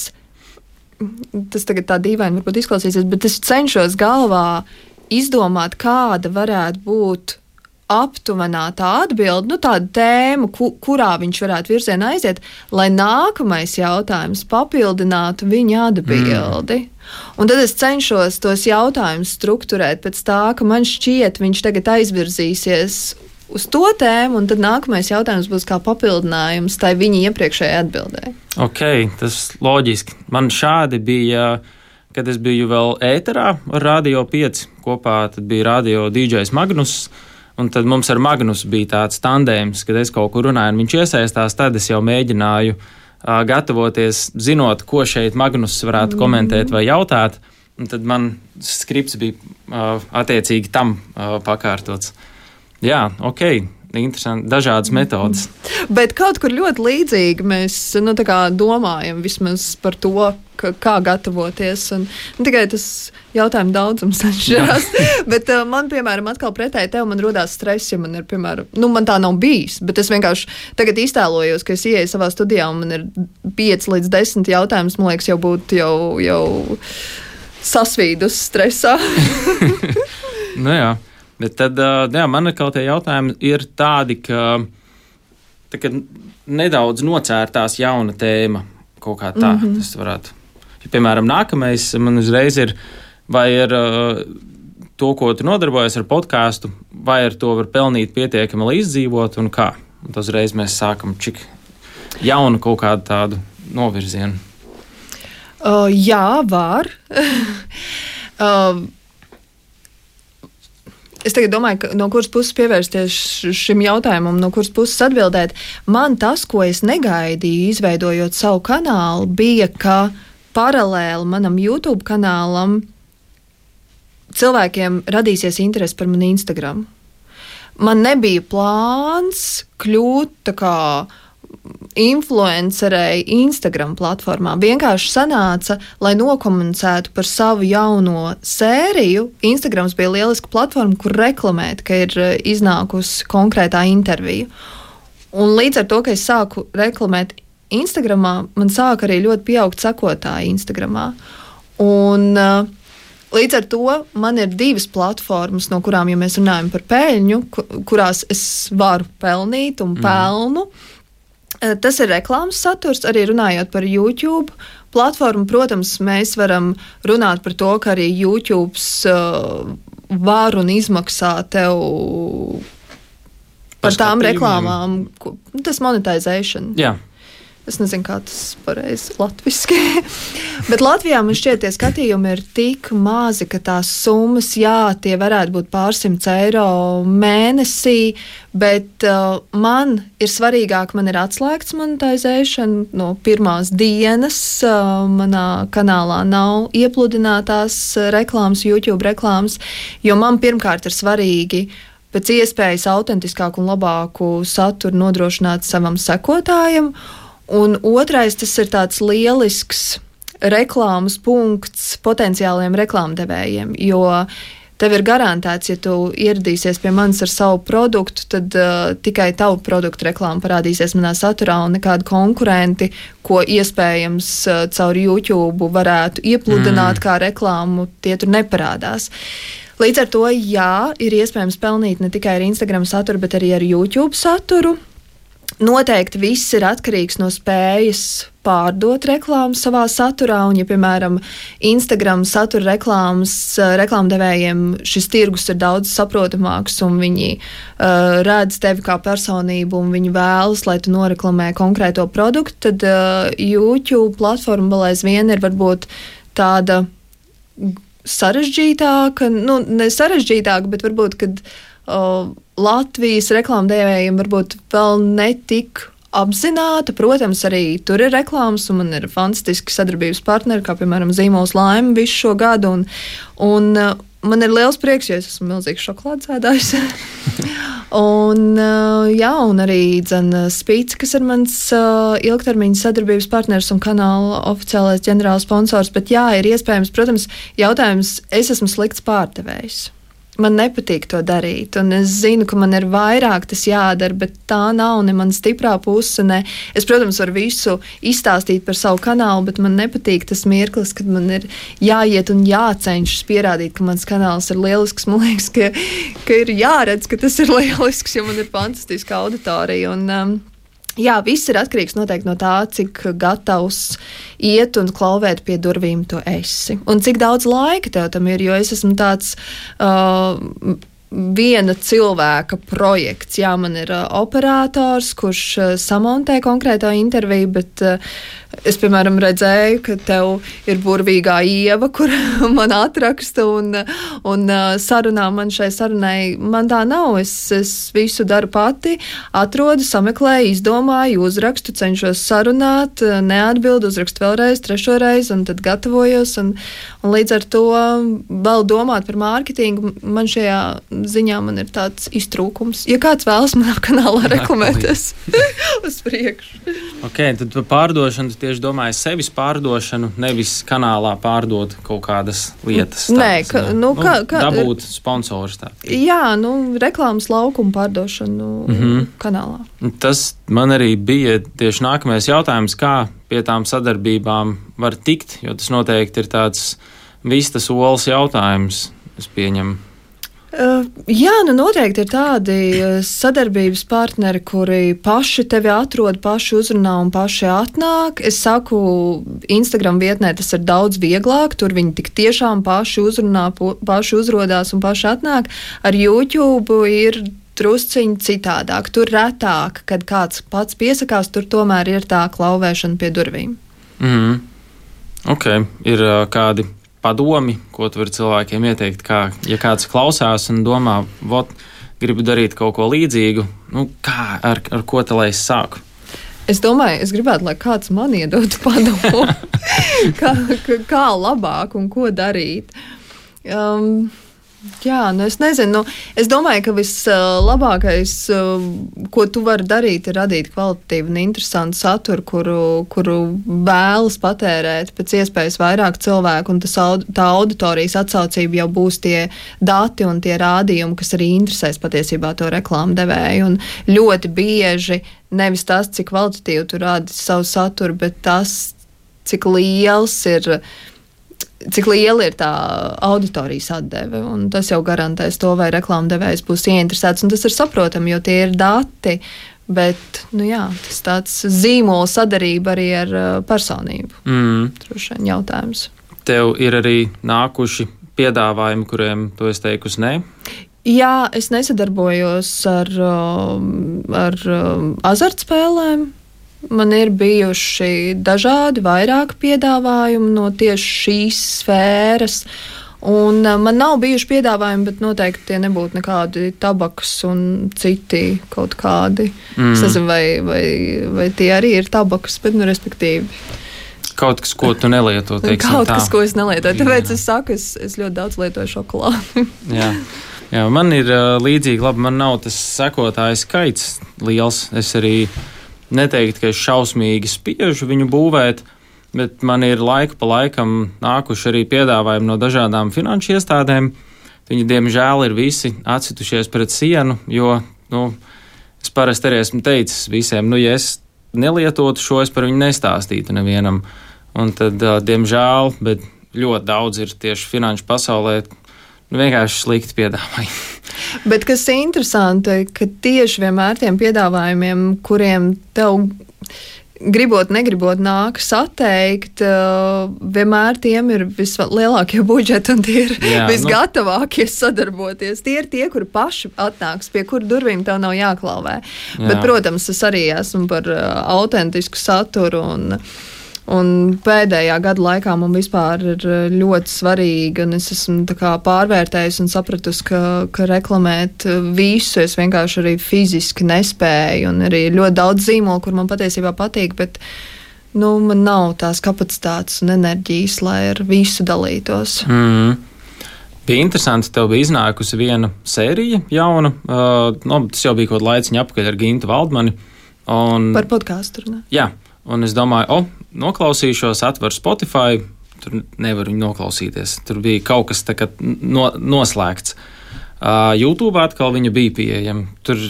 tas tagad tā dīvaini varbūt izklausīsies, bet es cenšos galvā izdomāt, kāda varētu būt aptuvenā tā atbilde, tāda tēma, kurā viņš varētu virzienā aiziet, lai nākamais jautājums papildinātu viņa atbildi. Un tad es cenšos tos jautājumus strukturēt pēc tā, ka man šķiet, viņš tagad aizvirzīsies uz to tēmu, un tad nākamais jautājums būs kā papildinājums tai viņa iepriekšējai atbildē. Ok, tas loģiski. Man šādi bija, kad es biju vēl ēterā ar Radio 5 kopā, tad bija radio DJs Magnus. Un tad mums ar Magnusu bija tāds tandēms, kad es kaut kur runāju, un viņš iesaistās, tad es jau mēģināju gatavoties, zinot, ko šeit Magnus varētu komentēt vai jautāt, un tad man skripts bija attiecīgi tam pakārtots. Jā, ok, interesanti, dažādas metodas. Bet kaut kur ļoti līdzīgi mēs domājam vismaz par to, kā gatavoties. Un tikai tas jautājumu daudzums atšķirās. Bet man, piemēram, atkal pretēji tev man rodās stress, ja man ir, piemēram, man tā nav bijis, bet es vienkārši tagad iztēlojos, ka es ieeju savā studijā un man ir 5 līdz 10 jautājumus, man liekas, jau būtu jau sasvīdus stresā. Nu jā, bet tad, man atkal tie jautājumi ir tādi, ka nedaudz nocērtās jauna tēma kaut kā tā, tas varētu. Ja, piemēram, nākamais man uzreiz ir, vai ir to, ko tu nodarbojies ar podcastu, vai ar to var pelnīt pietiekami, lai izdzīvot un kā. Un tas uzreiz mēs sākam čik jaunu kaut kādu tādu novirzienu. Jā, var. Es tagad domāju, no kuras puses pievērsties šim jautājumam, no kuras puses atbildēt. Man tas, ko es negaidīju, izveidojot savu kanālu, bija, ka paralēli manam YouTube kanālam cilvēkiem radīsies interese par mani Instagram. Man nebija plāns kļūt tā kā influencerei Instagram platformā. Vienkārši sanāca, lai nokomunicētu par savu jauno sēriju. Instagrams bija lieliska platforma, kur reklamēt, ka ir iznākusi konkrētā intervija. Un līdz ar to, ka es sāku reklamēt Instagramā, man sāka arī ļoti pieaugt sekotāji Instagramā. Un līdz ar to man ir 2 platformas, no kurām, ja mēs runājam par peļņu, kurās es varu pelnīt un pelnu. Tas ir reklāmas saturs, arī runājot par YouTube platformu. Protams, mēs varam runāt par to, ka arī YouTube var un izmaksā tev par tām reklāmām. Tas monetization. Jā. Es nezinu, kā tas pareizi latviski. Bet Latvijā man šķiet, tie skatījumi ir tik mazi, ka tās summas, jā, tie varētu būt pārsimts eiro mēnesī, bet man ir svarīgāk, man ir atslēgts monetization no pirmās dienas. Manā kanālā nav iepludinātās reklāmas, YouTube reklāmas, jo man pirmkārt ir svarīgi pēc iespējas autentiskāku un labāku saturu nodrošināt savam sekotājam. Un otrais, tas ir tāds lielisks reklāmas punkts potenciāliem reklāmdevējiem, jo tev ir garantēts, ja tu ieradīsies pie manis ar savu produktu, tad tikai tavu produktu reklāma parādīsies manā saturā un nekādi konkurenti, ko iespējams caur YouTube varētu iepludināt kā reklāmu, tie tur neparādās. Līdz ar to, jā, ir iespējams pelnīt ne tikai ar Instagram saturu, bet arī ar YouTube saturu. Noteikti viss ir atkarīgs no spējas pārdot reklāmu savā saturā, un, ja, piemēram, Instagram satura reklāmdevējiem šis tirgus ir daudz saprotamāks, un viņi redz tevi kā personību, un viņi vēlas, lai tu noreklamē konkrēto produktu, tad YouTube platforma vēl aizvien ir varbūt tāda sarežģītāka, ne sarežģītāka, bet varbūt, kad Latvijas reklāmdevējiem varbūt vēl netik apzināta. Protams, arī tur ir reklāmas, un man ir fantastiski sadarbības partneri, kā piemēram Zīmols Laime visu šo gadu, un man ir liels prieks, jo es esmu milzīgs šokolādes ēdājs. un arī Spīts, kas ir mans ilgtermiņa sadarbības partners un kanāla oficiālais ģenerāls sponsors, bet jā, ir iespējams, protams, jautājums, es esmu slikts pārdevējs. Man nepatīk to darīt, un es zinu, ka man ir vairāk tas jādara, bet tā nav ne mana stiprā puse. Ne. Es, protams, varu visu izstāstīt par savu kanālu, bet man nepatīk tas mirklis, kad man ir jāiet un jācenšas pierādīt, ka mans kanāls ir lielisks. Man liekas, ka ir jāredz, ka tas ir lielisks, jo man ir fantastiska auditorija. Jā, viss ir atkarīgs noteikti no tā, cik gatavs iet un klauvēt pie durvīm tu esi. Un cik daudz laika tev tam ir, jo es esmu tāds viena cilvēka projekts. Jā, man ir operators, kurš samontē konkrēto interviju, bet es, piemēram, redzēju, ka tev ir burvīgā Ieva, kur man atraksta un sarunā man šai sarunai. Man tā nav. Es visu daru pati, atrodu, sameklēju, izdomāju, uzrakstu, cenšos sarunāt, neatbildu, uzrakstu vēlreiz, trešo reizi un tad gatavojos. Un līdz ar to vēl domāt par mārketingu, man šajā ziņā man ir tāds iztrūkums. Ja kāds vēlas manā kanālā reklamēties uz priekšu. Ok, tad par pārdošanu tu tieši domāji sevis pārdošanu, nevis kanālā pārdot kaut kādas lietas. Nē, dabūt sponsors tā. Jā, reklāmas laukumu pārdošanu kanālā. Tas man arī bija tieši nākamais jautājums, kā pie tām sadarbībām var tikt, jo tas noteikti ir tāds vistas olas jautājums, es pieņemu. Jā, noteikti ir tādi sadarbības partneri, kuri paši tevi atrod, paši uzrunā un paši atnāk. Es saku, Instagram vietnē tas ir daudz vieglāk, tur viņi tik tiešām paši uzrunā, paši uzrodās un paši atnāk. Ar YouTube ir drusciņi citādāk, tur retāk, kad kāds pats piesakās, tur tomēr ir tā klauvēšana pie durvīm. Ok, ir kādi padomi, ko tu vari cilvēkiem ieteikt, kā, ja kāds klausās un domā, gribu darīt kaut ko līdzīgu, ar ko te lai es sāku? Es domāju, es gribētu, lai kāds man iedotu padomu, kā labāk un ko darīt. Jā, es nezinu. Es domāju, ka vislabākais, ko tu vari darīt, ir radīt kvalitatīvu un interesantu saturu, kuru vēlas patērēt pēc iespējas vairāk cilvēku, un tā auditorijas atsaucība jau būs tie dati un tie rādījumi, kas arī interesēs patiesībā to reklāmu devēju. Un ļoti bieži nevis tas, cik kvalitatīvi tu rādi savu saturu, bet tas, cik liela ir tā auditorijas atdeve, un tas jau garantēs to, vai reklāmdevējs būs ieinteresēts, un tas ir saprotami, jo tie ir dati, bet, tas tāds zīmola sadarība arī ar personību. Droši vien jautājums. Tev ir arī nākuši piedāvājumi, kuriem tu esi teikusi nē? Jā, es nesadarbojos ar azartspēlēm. Man ir bijuši dažādi vairāk piedāvājumi no tieši šīs sfēras, un man nav bijuši piedāvājumi, bet noteikti tie nebūtu nekādi tabakas un citi kaut kādi. Es nezinu, vai tie arī ir tabakas, bet, respektīvi. Kaut kas, ko tu nelieto, teiksim tā. Kaut kas, ko es nelietoju, tāpēc es saku, es ļoti daudz lietoju šokolādi. Jā, man ir līdzīgi, labi, man nav tas sekotāju skaits liels, es arī neteiktu, ka es šausmīgi spiežu viņu būvēt, bet man ir laiku pa laikam nākuši arī piedāvājumi no dažādām finanšu iestādēm, viņi, diemžēl, ir visi atsitušies pret sienu, jo, es parasti arī esmu teicis visiem, ja es nelietotu šo, es par viņu nestāstītu nevienam. Un tad, diemžēl, bet ļoti daudz ir tieši finanšu pasaulē, vienkārši slikti piedāvājumi. Bet kas ir interesanti, ka tieši vienmēr tiem piedāvājumiem, kuriem tev gribot, negribot nākas atteikt, vienmēr tiem ir vislielākie budžeti un tie ir visgatavākie sadarboties. Tie ir tie, kuri paši atnāks, pie kuru durvīm tev nav jāklauvē. Jā. Bet, protams, es arī esmu par autentisku saturu un pēdējā gada laikā man vispār ir ļoti svarīgi, un es esmu pārvērtējusi un sapratusi, ka reklamēt visu es vienkārši arī fiziski nespēju, un arī ļoti daudz zīmolu, kur man patiesībā patīk, bet man nav tās kapacitātes un enerģijas, lai ar visu dalītos. Bija interesanti, tev bija iznākusi viena sērija jauna, tas jau bija kaut laiciņa apakaļ ar Gintu Valdmani. Par podcastu runā. Jā. Un es domāju, noklausīšos, atveru Spotify, tur nevaru viņu noklausīties. Tur bija kaut kas tā kā noslēgts. YouTube atkal viņa bija pieejama. Tur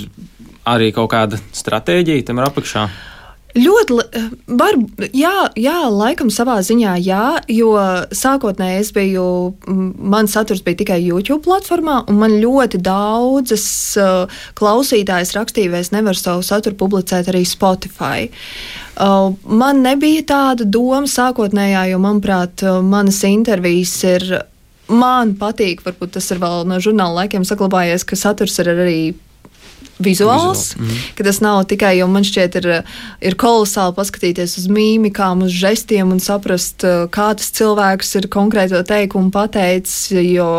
arī kaut kāda stratēģija tam ir apakšā. Ļoti, jā, laikam savā ziņā jā, jo sākotnēji mans saturs bija tikai YouTube platformā, un man ļoti daudzas klausītājas rakstīja, vai es nevaru savu saturu publicēt arī Spotify. Man nebija tāda doma sākotnējā, jo, manuprāt, manas intervijas man patīk, varbūt tas ir vēl no žurnāla laikiem saglabājies, ka saturs ir arī vizuāls, ka tas nav tikai, jo man šķiet ir kolosāli paskatīties uz mīmikām, uz žestiem un saprast, kā tas cilvēks ir konkrēto teikumu pateicis, jo,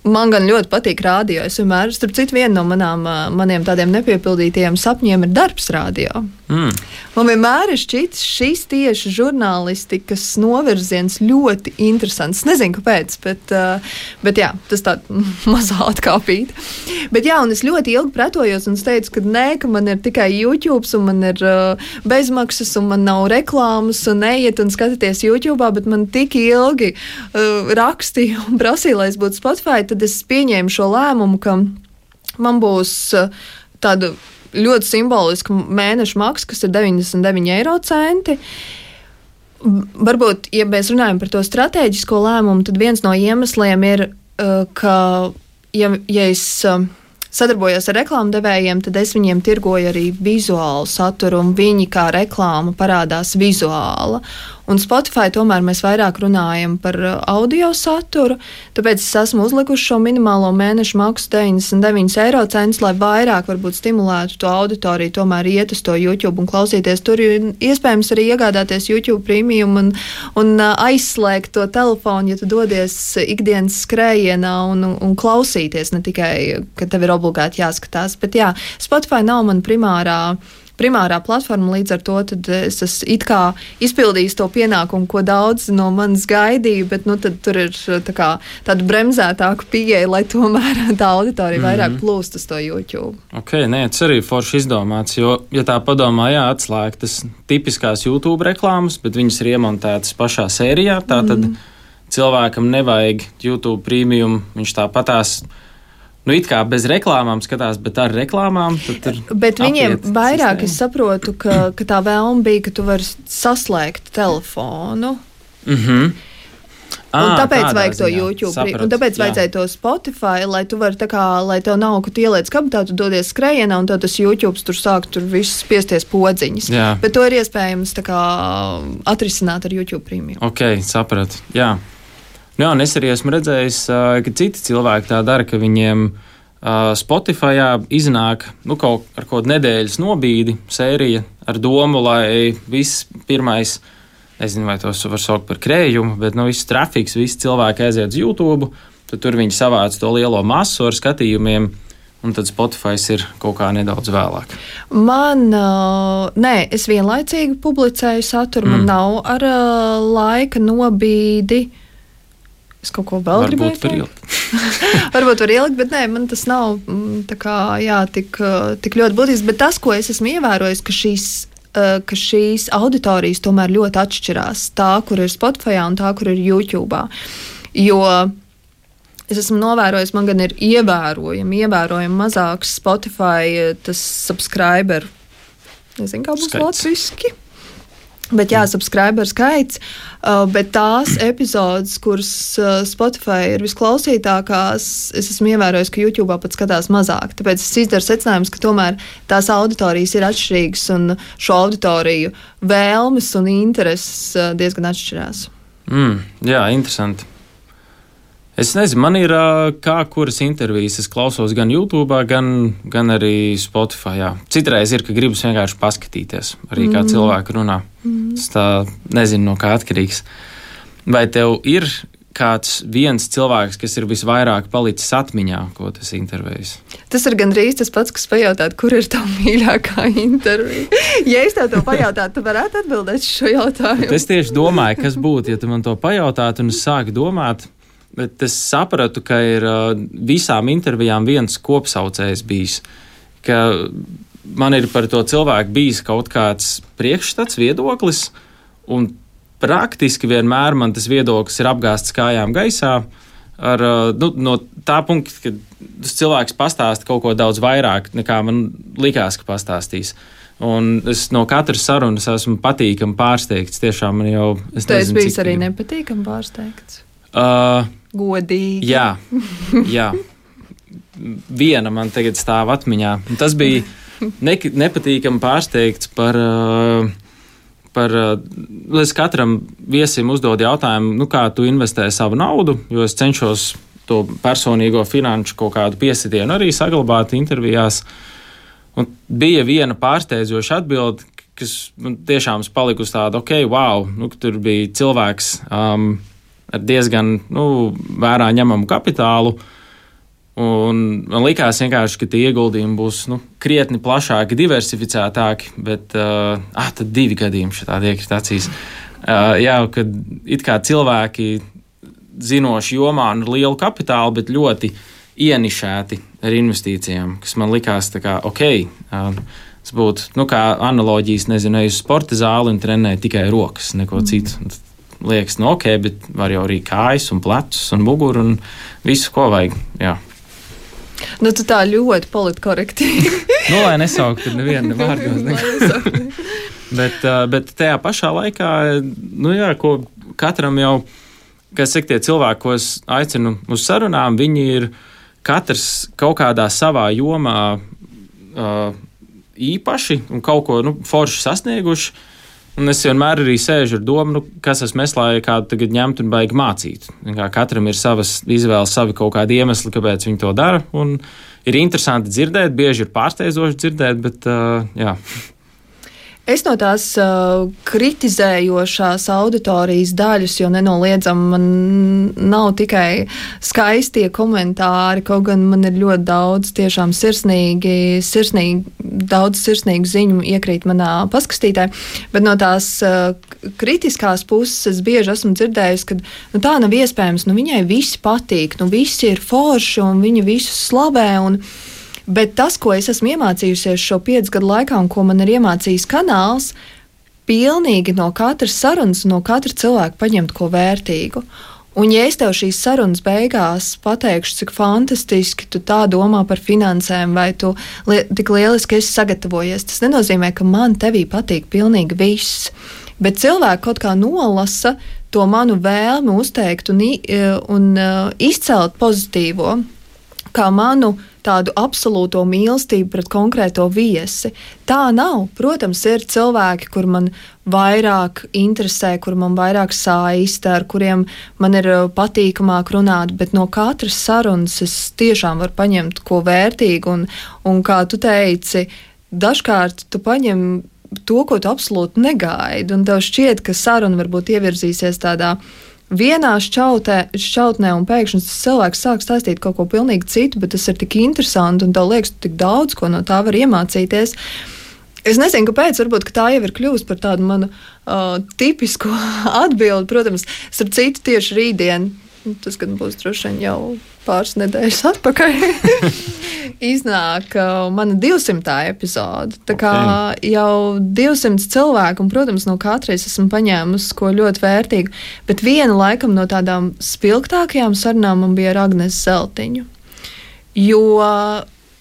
man gan ļoti patīk rādio. Es vienmēr, starp citu, viena no maniem tādiem nepiepildītajiem sapņiem ir darbs rādio. Man vienmēr ir šķits šis tieši žurnālistikas novirziens ļoti interesants. Nezinu, kāpēc, bet jā, tas tā mazā atkāpīt. Bet jā, un es ļoti ilgi pretojos un es teicu, ka man ir tikai YouTube un man ir bezmaksas un man nav reklāmas un ejiet un skatieties YouTube, bet man tik ilgi rakstīja un prasīja, lai es būtu Spotify, tad es pieņēmu šo lēmumu, ka man būs tāda ļoti simboliska mēneša maksa, kas ir 99 centi. Varbūt, ja mēs runājam par to stratēģisko lēmumu, tad viens no iemesliem ir, ka, ja es sadarbojos ar reklāmdevējiem, tad es viņiem tirgoju arī vizuālu saturu, un viņi kā reklāma parādās vizuāla. Un Spotify tomēr mēs vairāk runājam par audio saturu, tāpēc es esmu uzlikuši šo minimālo mēnešu maksu 99 cents, lai vairāk varbūt stimulētu to auditoriju, tomēr iet uz to YouTube un klausīties. Tur ir iespējams arī iegādāties YouTube premium un aizslēgt to telefonu, ja tu dodies ikdienas skrējienā un klausīties, ne tikai, ka tev ir obligāti jāskatās. Bet jā, Spotify nav man primārā platforma, līdz ar to tad es esmu it kā izpildījis to pienākumu, ko daudz no manis gaidīja, bet tad tur ir tāda bremzētāka pieeja, lai tomēr tā auditorija vairāk plūst uz to YouTube. Tas arī forši izdomāts, jo, ja tā padomā, atslēgtas tipiskās YouTube reklāmas, bet viņas ir iemontētas pašā sērijā, tad cilvēkam nevajag YouTube premium, viņš tāpatās it kā bez reklāmām skatās, bet ar reklāmām. Bet viņiem vairāk sistēma. Es saprotu, ka tā vēlme bija, ka tu vari saslēgt telefonu. Un tāpēc vajag to YouTube. Sapratu, un tāpēc vajadzēja to Spotify, lai tu vari lai tev nav, ka tu ieliec kabatā, tu dodies skrejienā, un tad tas YouTube tur sāk viss spiesties podziņas. Jā. Bet to ir iespējams atrisināt ar YouTube premium. Sapratu. Jā. Jā, un es arī esmu redzējis, ka citi cilvēki tā dara, ka viņiem Spotifyā iznāk ar kaut kādu nedēļas nobīdi sērija ar domu, lai viss pirmais, nezinu, vai tos var saukt par krējumu, bet viss trafiks, visi cilvēki aiziet uz YouTube, tad tur viņi savāc to lielo masu ar skatījumiem, un tad Spotify ir kaut kā nedaudz vēlāk. Es vienlaicīgi publicēju saturu, man nav ar laika nobīdi. Es kaut ko vēl gribēju teikt. Varbūt var ielikt, bet man tas nav tik ļoti būtisks. Bet tas, ko es esmu ievērojis, ka šīs auditorijas tomēr ļoti atšķirās. Tā, kur ir Spotify un tā, kur ir YouTube. Jo Es esmu novērojis, man gan ir ievērojami mazāks Spotify tas subscriber. Nezinu, kā būs latviski. Bet jā, subscriber skaits, bet tās epizodes, kuras Spotify ir visklausītākās, es esmu ievērojis, ka YouTube pat skatās mazāk. Tāpēc es izdaru secinājumus, ka tomēr tās auditorijas ir atšķirīgas un šo auditoriju vēlmes un intereses diezgan atšķirās. Jā, interesanti. Es nezinu, man ir kuras intervijas es klausos gan YouTube, gan arī Spotify. Jā. Citreiz ir, ka gribas vienkārši paskatīties, arī kā cilvēki runā. Es tā nezinu, no kā atkarīgs. Vai tev ir kāds viens cilvēks, kas ir visvairāk palicis atmiņā, ko tas intervējis? Tas ir gandrīz tas pats, kas pajautāt, kur ir tā mīļākā intervija. Ja es tev to pajautātu, tu varētu atbildēt šo jautājumu. Bet es tieši domāju, kas būtu, ja tu man to pajautātu, un es sāku domāt. Bet es sapratu, ka ir visām intervijām viens kopsaucējs bijis, ka man ir par to cilvēku bijis kaut kāds priekšstats, viedoklis, un praktiski vienmēr man tas viedoklis ir apgāzts kājām gaisā no tā punkta, ka tas cilvēks pastāsta kaut ko daudz vairāk, nekā man likās, ka pastāstīs. Un es no katras sarunas esmu patīkami pārsteigts. Tiešām man jau... Tu esi bijis arī nepatīkami pārsteigts? Godīgi. Jā. Viena man tagad stāv atmiņā. Tas bija nepatīkami pārsteigts par es katram viesim uzdod jautājumu, kā tu investē savu naudu, jo es cenšos to personīgo finanšu kaut kādu piesitienu arī saglabāt intervijās. Un bija viena pārsteidzoša atbilde, kas man tiešām palika uz tādu, wow, tur bija cilvēks ar diezgan vērā ņemamu kapitālu. Un man likās vienkārši, ka tie ieguldījumi būs krietni plašāki, diversificētāki, bet tad 2 gadījumi šitādi iekrīt acīs. Kad it kā cilvēki zinoši jomā un ar lielu kapitālu, bet ļoti ienišēti ar investīcijām, kas man likās tā kā tas būtu, kā analoģijas, nezinu, uz sporta zāli un trenē tikai rokas, neko citu. Liekas, bet var jau arī kājas un plecus un muguru un visu, ko vajag. Jā. Tu tā ļoti politkorekti. Lai nesauktu nevienu vārdos. Bet tajā pašā laikā, ko katram jau, kas saka, tie cilvēki, ko es aicinu uz sarunām, viņi ir katrs kaut kādā savā jomā īpaši un kaut ko forši sasnieguši. Un es vienmēr arī sēžu ar domu, kas esmu es, lai kādu tagad ņemtu un baigi mācīt. Katram ir savas izvēles, savi kaut kādi iemesli, kāpēc viņi to dara. Un ir interesanti dzirdēt, bieži ir pārsteidzoši dzirdēt, bet jā. Es no tās kritizējošās auditorijas daļas, jo nenoliedzami man nav tikai skaistie komentāri, kaut gan man ir ļoti daudz tiešām daudz sirsnīgu ziņu iekrīt manā paskastītē, bet no tās kritiskās puses es bieži esmu dzirdējusi, ka tā nav iespējams, viņai visi patīk, visi ir forši un viņa visus slavē bet tas, ko es esmu iemācījusies šo 5 gadu laikā un ko man ir iemācījis kanāls, pilnīgi no katras sarunas, no katra cilvēka paņemt ko vērtīgu. Un ja es tev šīs sarunas beigās pateikšu, cik fantastiski tu tā domā par finansēm vai tu tik lieliski esi sagatavojies, tas nenozīmē, ka man tevī patīk pilnīgi viss. Bet cilvēki kaut kā nolasa to manu vēlmi uzteikt un izcelt pozitīvo, kā manu tādu absolūto mīlestību pret konkrēto viesi. Tā nav. Protams, ir cilvēki, kur man vairāk interesē, kur man vairāk saista, ar kuriem man ir patīkamāk runāt, bet no katras sarunas es tiešām varu paņemt ko vērtīgu, un kā tu teici, dažkārt tu paņem to, ko tu absolūti negaidi, un tev šķiet, ka saruna varbūt ievirzīsies tādā vienā šķautnē, un pēkšņi tas cilvēks sāk stāstīt kaut ko pilnīgi citu, bet tas ir tik interesanti, un tev liekas, tik daudz, ko no tā var iemācīties. Es nezinu, kāpēc, varbūt, ka tā jau ir kļuvusi par tādu manu tipisko atbildi. Protams, starp citu, tieši rītdien tas gan būs droši vien jau pāris nedēļas atpakaļ, iznāk mana 200. epizode. Tā kā jau 200 cilvēku, un, protams, no katreiz esmu paņēmusi ko ļoti vērtīgu, bet viena laikam no tādām spilgtākajām sarunām man bija ar Agnesu Zeltiņu. Jo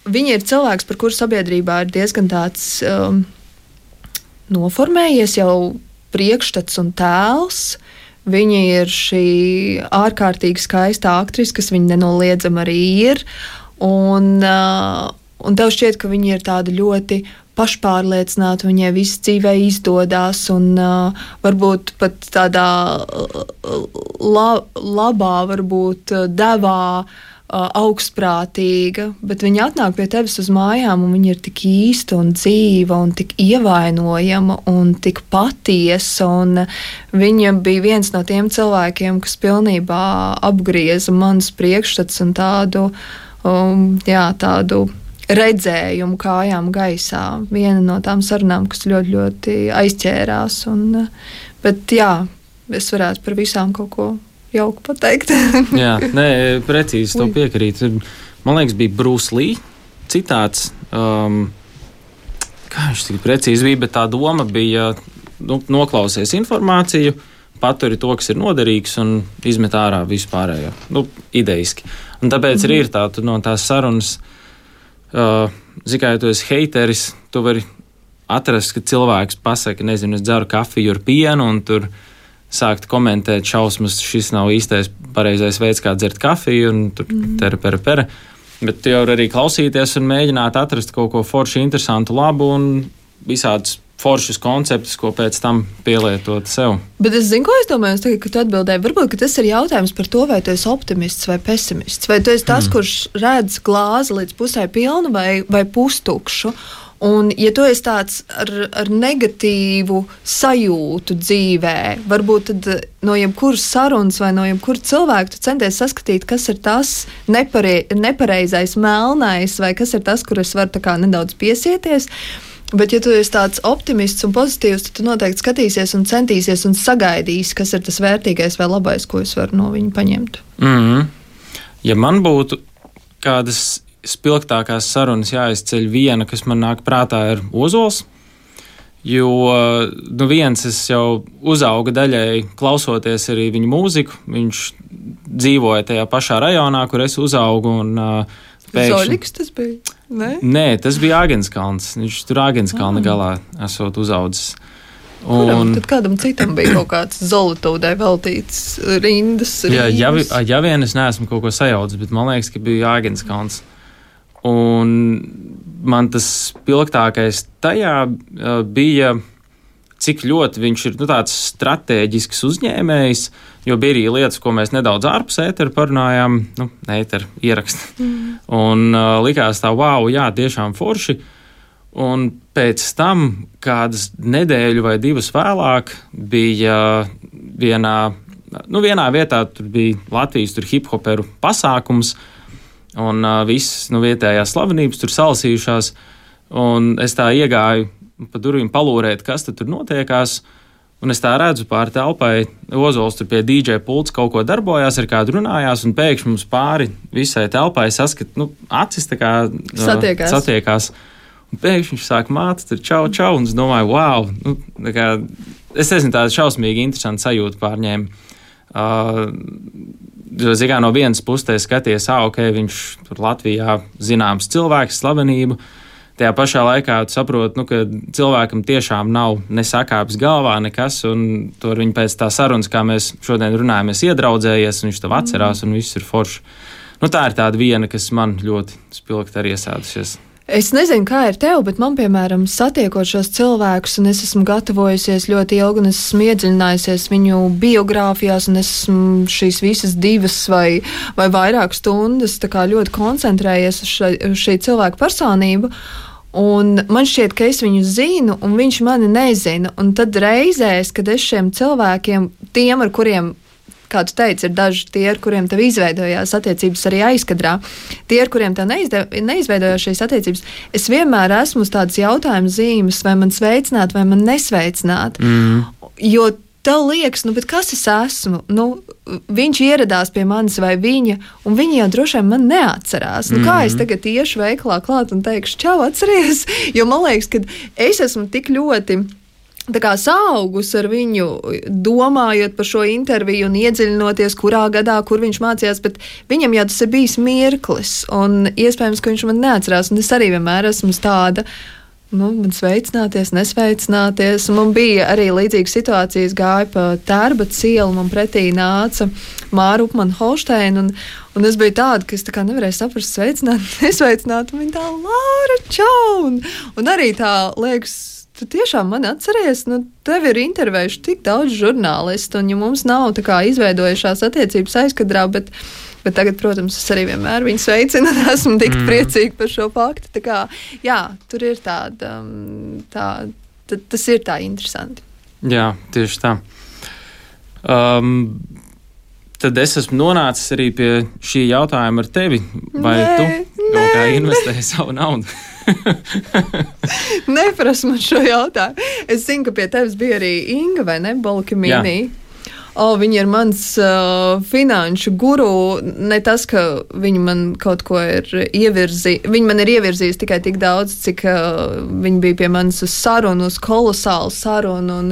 viņa ir cilvēks, par kuru sabiedrībā ir diezgan tāds noformējies jau priekšstats un tēls. Viņa ir šī ārkārtīgi skaista aktrise, kas viņa nenoliedzami arī ir. Un tev šķiet, ka viņa ir tāda ļoti pašpārliecināta, viņai viss dzīvē izdodas, un varbūt pat tādā labā, varbūt devā, augstprātīga, bet viņa atnāk pie tevis uz mājām, un viņa ir tik īsta un dzīva, un tik ievainojama, un tik patiesa, un viņa bija viens no tiem cilvēkiem, kas pilnībā apgrieza manas priekšstats un tādu redzējumu kājām gaisā. Viena no tām sarunām, kas ļoti, ļoti aizķērās, bet jā, es varētu par visām kaut ko jauku pateikt. Jā, nē, precīzi to piekrīt. Man liekas, bija Bruce Lee citāts. Kā viņš tik precīzi bija, bet tā doma bija, noklausies informāciju, paturi to, kas ir noderīgs, un izmet ārā vispārējo. Idejiski. Un tāpēc arī ir tā, tu no tās sarunas, ja tu esi heiteris, tu vari atrast, ka cilvēks pasaka, nezinu, es dzeru kafiju ar pienu, un tur sākt komentēt šausmas, šis nav īstais pareizais veids, kā dzert kafiju, un tur pere. Bet tu jau arī klausīties un mēģināt atrast kaut ko forši, interesantu, labu un visādus foršus konceptus, ko pēc tam pielietot sev. Bet es zinu, ko es domāju, tagad, kad tu atbildēji. Varbūt, ka tas ir jautājums par to, vai tu esi optimists vai pesimists, vai tu esi tas, kurš redz glāzi līdz pusē pilnu vai pustukšu. Un, ja tu esi tāds ar negatīvu sajūtu dzīvē, varbūt tad no jebkuras sarunas vai no jebkura cilvēka tu centies saskatīt, kas ir tas nepareizais, melnais, vai kas ir tas, kur es varu tā kā nedaudz piesieties. Bet, ja tu esi tāds optimists un pozitīvs, tad tu noteikti skatīsies un centīsies un sagaidīsi, kas ir tas vērtīgais vai labais, ko es varu no viņa paņemt. Ja man būtu kādas spilgtākās sarunas jāizceļ, viena, kas man nāk prātā, ir Ozols. Jo viens, es jau uzauga daļēji klausoties arī viņu mūziku. Viņš dzīvoja tajā pašā rajonā, kur es uzaugu. Zoļiks tas bija? Nē, tas bija Āgenskalns. Viņš tur Āgenskalna galā esot uzaudzis. Tad kādam citam bija kaut kāds Zolotūdai veltīts rindas? Ja vien es neesmu kaut ko sajaucis, bet man liekas, ka bija Āgenskalns. Un man tas spilgtākais tajā bija, cik ļoti viņš ir tāds stratēģisks uzņēmējs, jo bija arī lietas, ko mēs nedaudz ārpus ētera parunājām, ētera ierakstu. Un likās tā, wow, jā, tiešām forši. Un pēc tam, kādas nedēļu vai divas vēlāk, bija vienā vietā, tur bija Latvijas hip-hoperu pasākums, un visas vietējās slavenības tur salasījušās, un es tā iegāju pa durvīm palūrēt, kas tur notiekās, un es tā redzu pāri telpai, Ozols tur pie DJ pults kaut ko darbojās, ar kādu runājās, un pēkšņi mums pāri visai telpai saskat, acis tā kā satiekās. Un pēkšņi viņš sāk māt, tur čau, un es domāju, wow, es nezinu, tāda šausmīgi interesanta sajūta pārņēma. No vienas puses skaties, viņš tur Latvijā zināms cilvēks, slavenību. Tajā pašā laikā tu saproti, ka cilvēkam tiešām nav nesakāpis galvā nekas, un to ar viņu pēc tā sarunas, kā mēs šodien runājamies, iedraudzējies, un viņš tev atcerās, un viss ir forši. Tā ir tāda viena, kas man ļoti spilgti arī iesēdusies. Es nezinu, kā ir tev, bet man, piemēram, satiekot šos cilvēkus, un es esmu gatavojusies ļoti ilgi, un es esmu iedziļinājusies viņu biogrāfijās, un es esmu šīs visas 2 vai vairāk stundas tā kā ļoti koncentrējies uz šī cilvēka personību. Un man šķiet, ka es viņu zinu, un viņš mani nezina. Un tad reizēs, kad es šiem cilvēkiem, tiem, ar kuriem, kā tu teici, ir daži tie, ar kuriem tev izveidojās attiecības arī aizkadrā, tie, ar kuriem tev neizveidojās šīs attiecības, es vienmēr esmu uz tādas jautājuma zīmes, vai man sveicināt, vai man nesveicināt. Jo tev liekas, bet kas es esmu? Viņš ieradās pie manis vai viņa, un viņi jau droši vien man neatcerās. Kā es tagad iešu veikalā klāt un teikšu, čau, atceries? Jo man liekas, ka es esmu tik ļoti saugus ar viņu, domājot par šo interviju un iedziļinoties, kurā gadā, kur viņš mācījās, bet viņam jau tas ir bijis mirklis, un iespējams, ka viņš man neatcerās, un es arī vienmēr esmu tāda, man sveicināties, nesveicināties. Man bija arī līdzīga situācija, es gāju pa Tērbats ielu, man pretī nāca Māra Upmana Holšteina, un es biju tāda, ka es tā kā nevarēju saprast, sveicināt, nesveicināt, un viņa tā, Laura, čau, un arī tā, liekas, tu tiešām mani atceries, tev ir intervējuši tik daudz žurnālistu, un ja mums nav tā kā izveidojušās attiecības aizkadrā, bet tagad, protams, es arī vienmēr viņu sveicinu, un esmu tik priecīga par šo faktu. Tā kā, jā, tur ir tas ir tā interesanti. Jā, tieši tā. Tad es esmu nonācis arī pie šī jautājuma ar tevi. Vai tu kaut kā investēji savu naudu? Neprasa man šo jautājumu. Es zinu, ka pie tevis bija arī Inga, vai ne, Bolkimīnī? Viņa ir mans finanšu guru. Ne tas, ka viņa man kaut ko ir ievirzījusi. Viņa man ir ievirzījusi tikai tik daudz, cik viņa bija pie manis uz sarunu, uz kolosālu sarunu. Un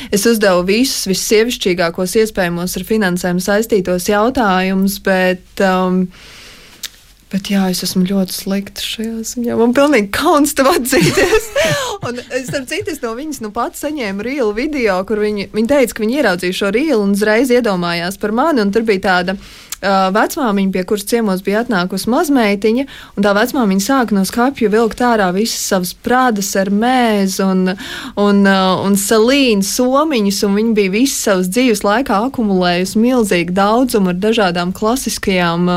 es uzdevu visus vissievišķīgākos iespējamos ar finansēm saistītos jautājumus, bet jā, es esmu ļoti slikta šajā ziņā. Man pilnīgi kauns tev atzīties. Un starp citu, es no viņas pats saņēmu rīlu video, kur viņa teica, ka viņa ieraudzīja šo rīlu un uzreiz iedomājās par mani. Un tur bija tāda vecmāmiņa, pie kuras ciemos bija atnākusi mazmeitiņa, un tā vecmāmiņa sāka no skapja vilkt ārā visas savas prādas ar mēzu un salīnu somiņus, un viņa bija visas savas dzīves laikā akumulējusi milzīgu daudzumu ar dažādām klasiskajām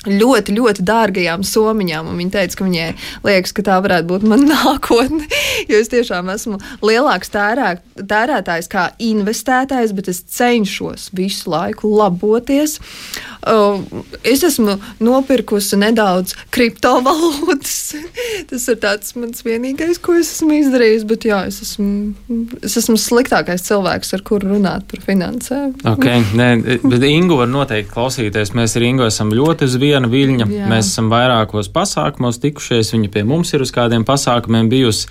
ļoti, ļoti dārgajām somiņām, un viņa teica, ka viņai liekas, ka tā varētu būt mana nākotne, jo es tiešām esmu lielāks tērētājs kā investētājs, bet es cenšos visu laiku laboties. Es esmu nopirkusi nedaudz kriptovalūtas. Tas ir tāds mans vienīgais, ko es esmu izdarījis, bet jā, es esmu sliktākais cilvēks, ar kuru runāt par finansēm. Okay, bet Ingu var noteikti klausīties. Mēs ar Ingu esam ļoti uz viena viļņa. Jā. Mēs esam vairākos pasākumos tikušies, viņa pie mums ir uz kādiem pasākumiem bijusi.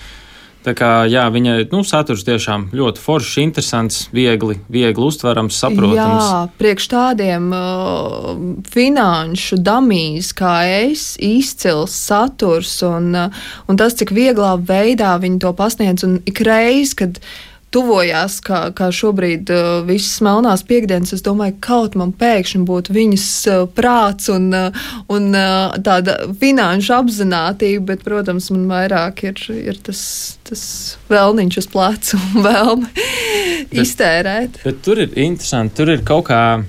Tā kā, jā, viņa saturs tiešām ļoti foršs, interesants, viegli uztverams, saprotams. Jā, priekš tādiem finanšu damīs kā es, izcils saturs un tas, cik vieglā veidā viņi to pasniedz, un ikreiz, kad tuvojās, kā šobrīd visas melnās piekdienas, es domāju, kaut man pēkšņi būtu viņas prāts un tāda finanšu apzinātība, bet, protams, man vairāk ir tas vēlniņš uz plecu un vēlme iztērēt. Bet tur ir interesanti, tur ir kaut kā,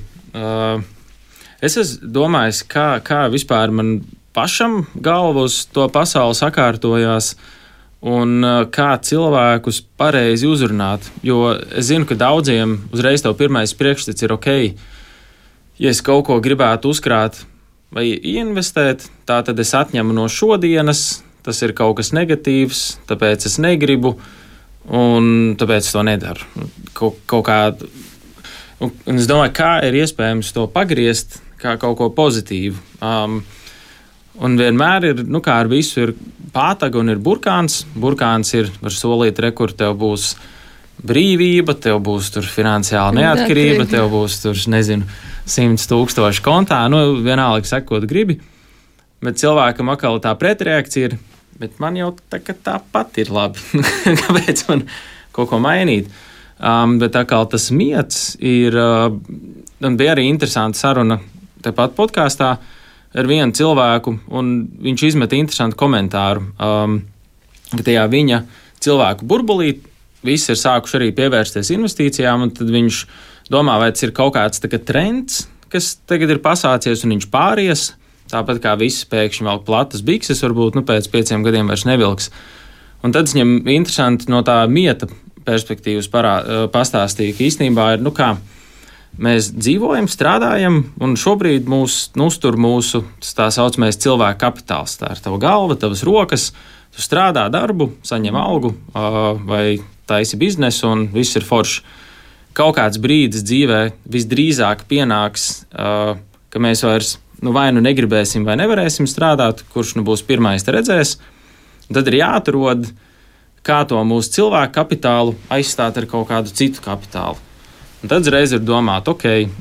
es esmu domājis, kā vispār man pašam galva uz to pasauli sakārtojās, un kā cilvēkus pareizi uzrunāt. Jo es zinu, ka daudziem uzreiz tev pirmais priekšstats ir ok, ja es kaut ko gribētu uzkrāt vai investēt, tā tad es atņemu no šodienas, tas ir kaut kas negatīvs, tāpēc es negribu, un tāpēc es to nedaru. Kaut kā, un es domāju, kā ir iespējams to pagriezt kā kaut ko pozitīvu. Un vienmēr ir, kā ar visu, ir pātaga un ir burkāns. Burkāns ir var solīt, kur tev būs brīvība, tev būs tur finansiāla neatkarība, tev būs tur, 100,000 kontā, vienalga sekot gribi. Bet cilvēkam atkal tā pretreakcija ir, bet man jau tāpat ir labi. Kāpēc man kaut ko mainīt? Bet atkal tas miets ir, un bija arī interesanta saruna tepat podkāstā, ar vienu cilvēku, un viņš izmeta interesantu komentāru, ka tajā viņa cilvēku burbulī visi ir sākuši arī pievērsties investīcijām, un tad viņš domā, vai tas ir kaut kāds trends, kas tagad ir pasācies, un viņš pāries, tāpat kā visi pēkšņi velk platas bikses, varbūt pēc 5 gadiem vairs nevilks. Un tad viņam interesanti no tā mieta perspektīvas pastāstīja, ka īstenībā ir, kā mēs dzīvojam, strādājam, un šobrīd mūs uztur mūsu tā saucamais cilvēka kapitāls. Tā ir tava galva, tavas rokas, tu strādā darbu, saņem algu vai taisi biznesu, un viss ir forši. kaut kāds brīdis dzīvē visdrīzāk pienāks, ka mēs vairs vai negribēsim vai nevarēsim strādāt, kurš būs pirmais redzēs. Tad ir jāatrod, kā to mūsu cilvēku kapitālu aizstāt ar kaut kādu citu kapitālu. Un tad reiz ir domāt,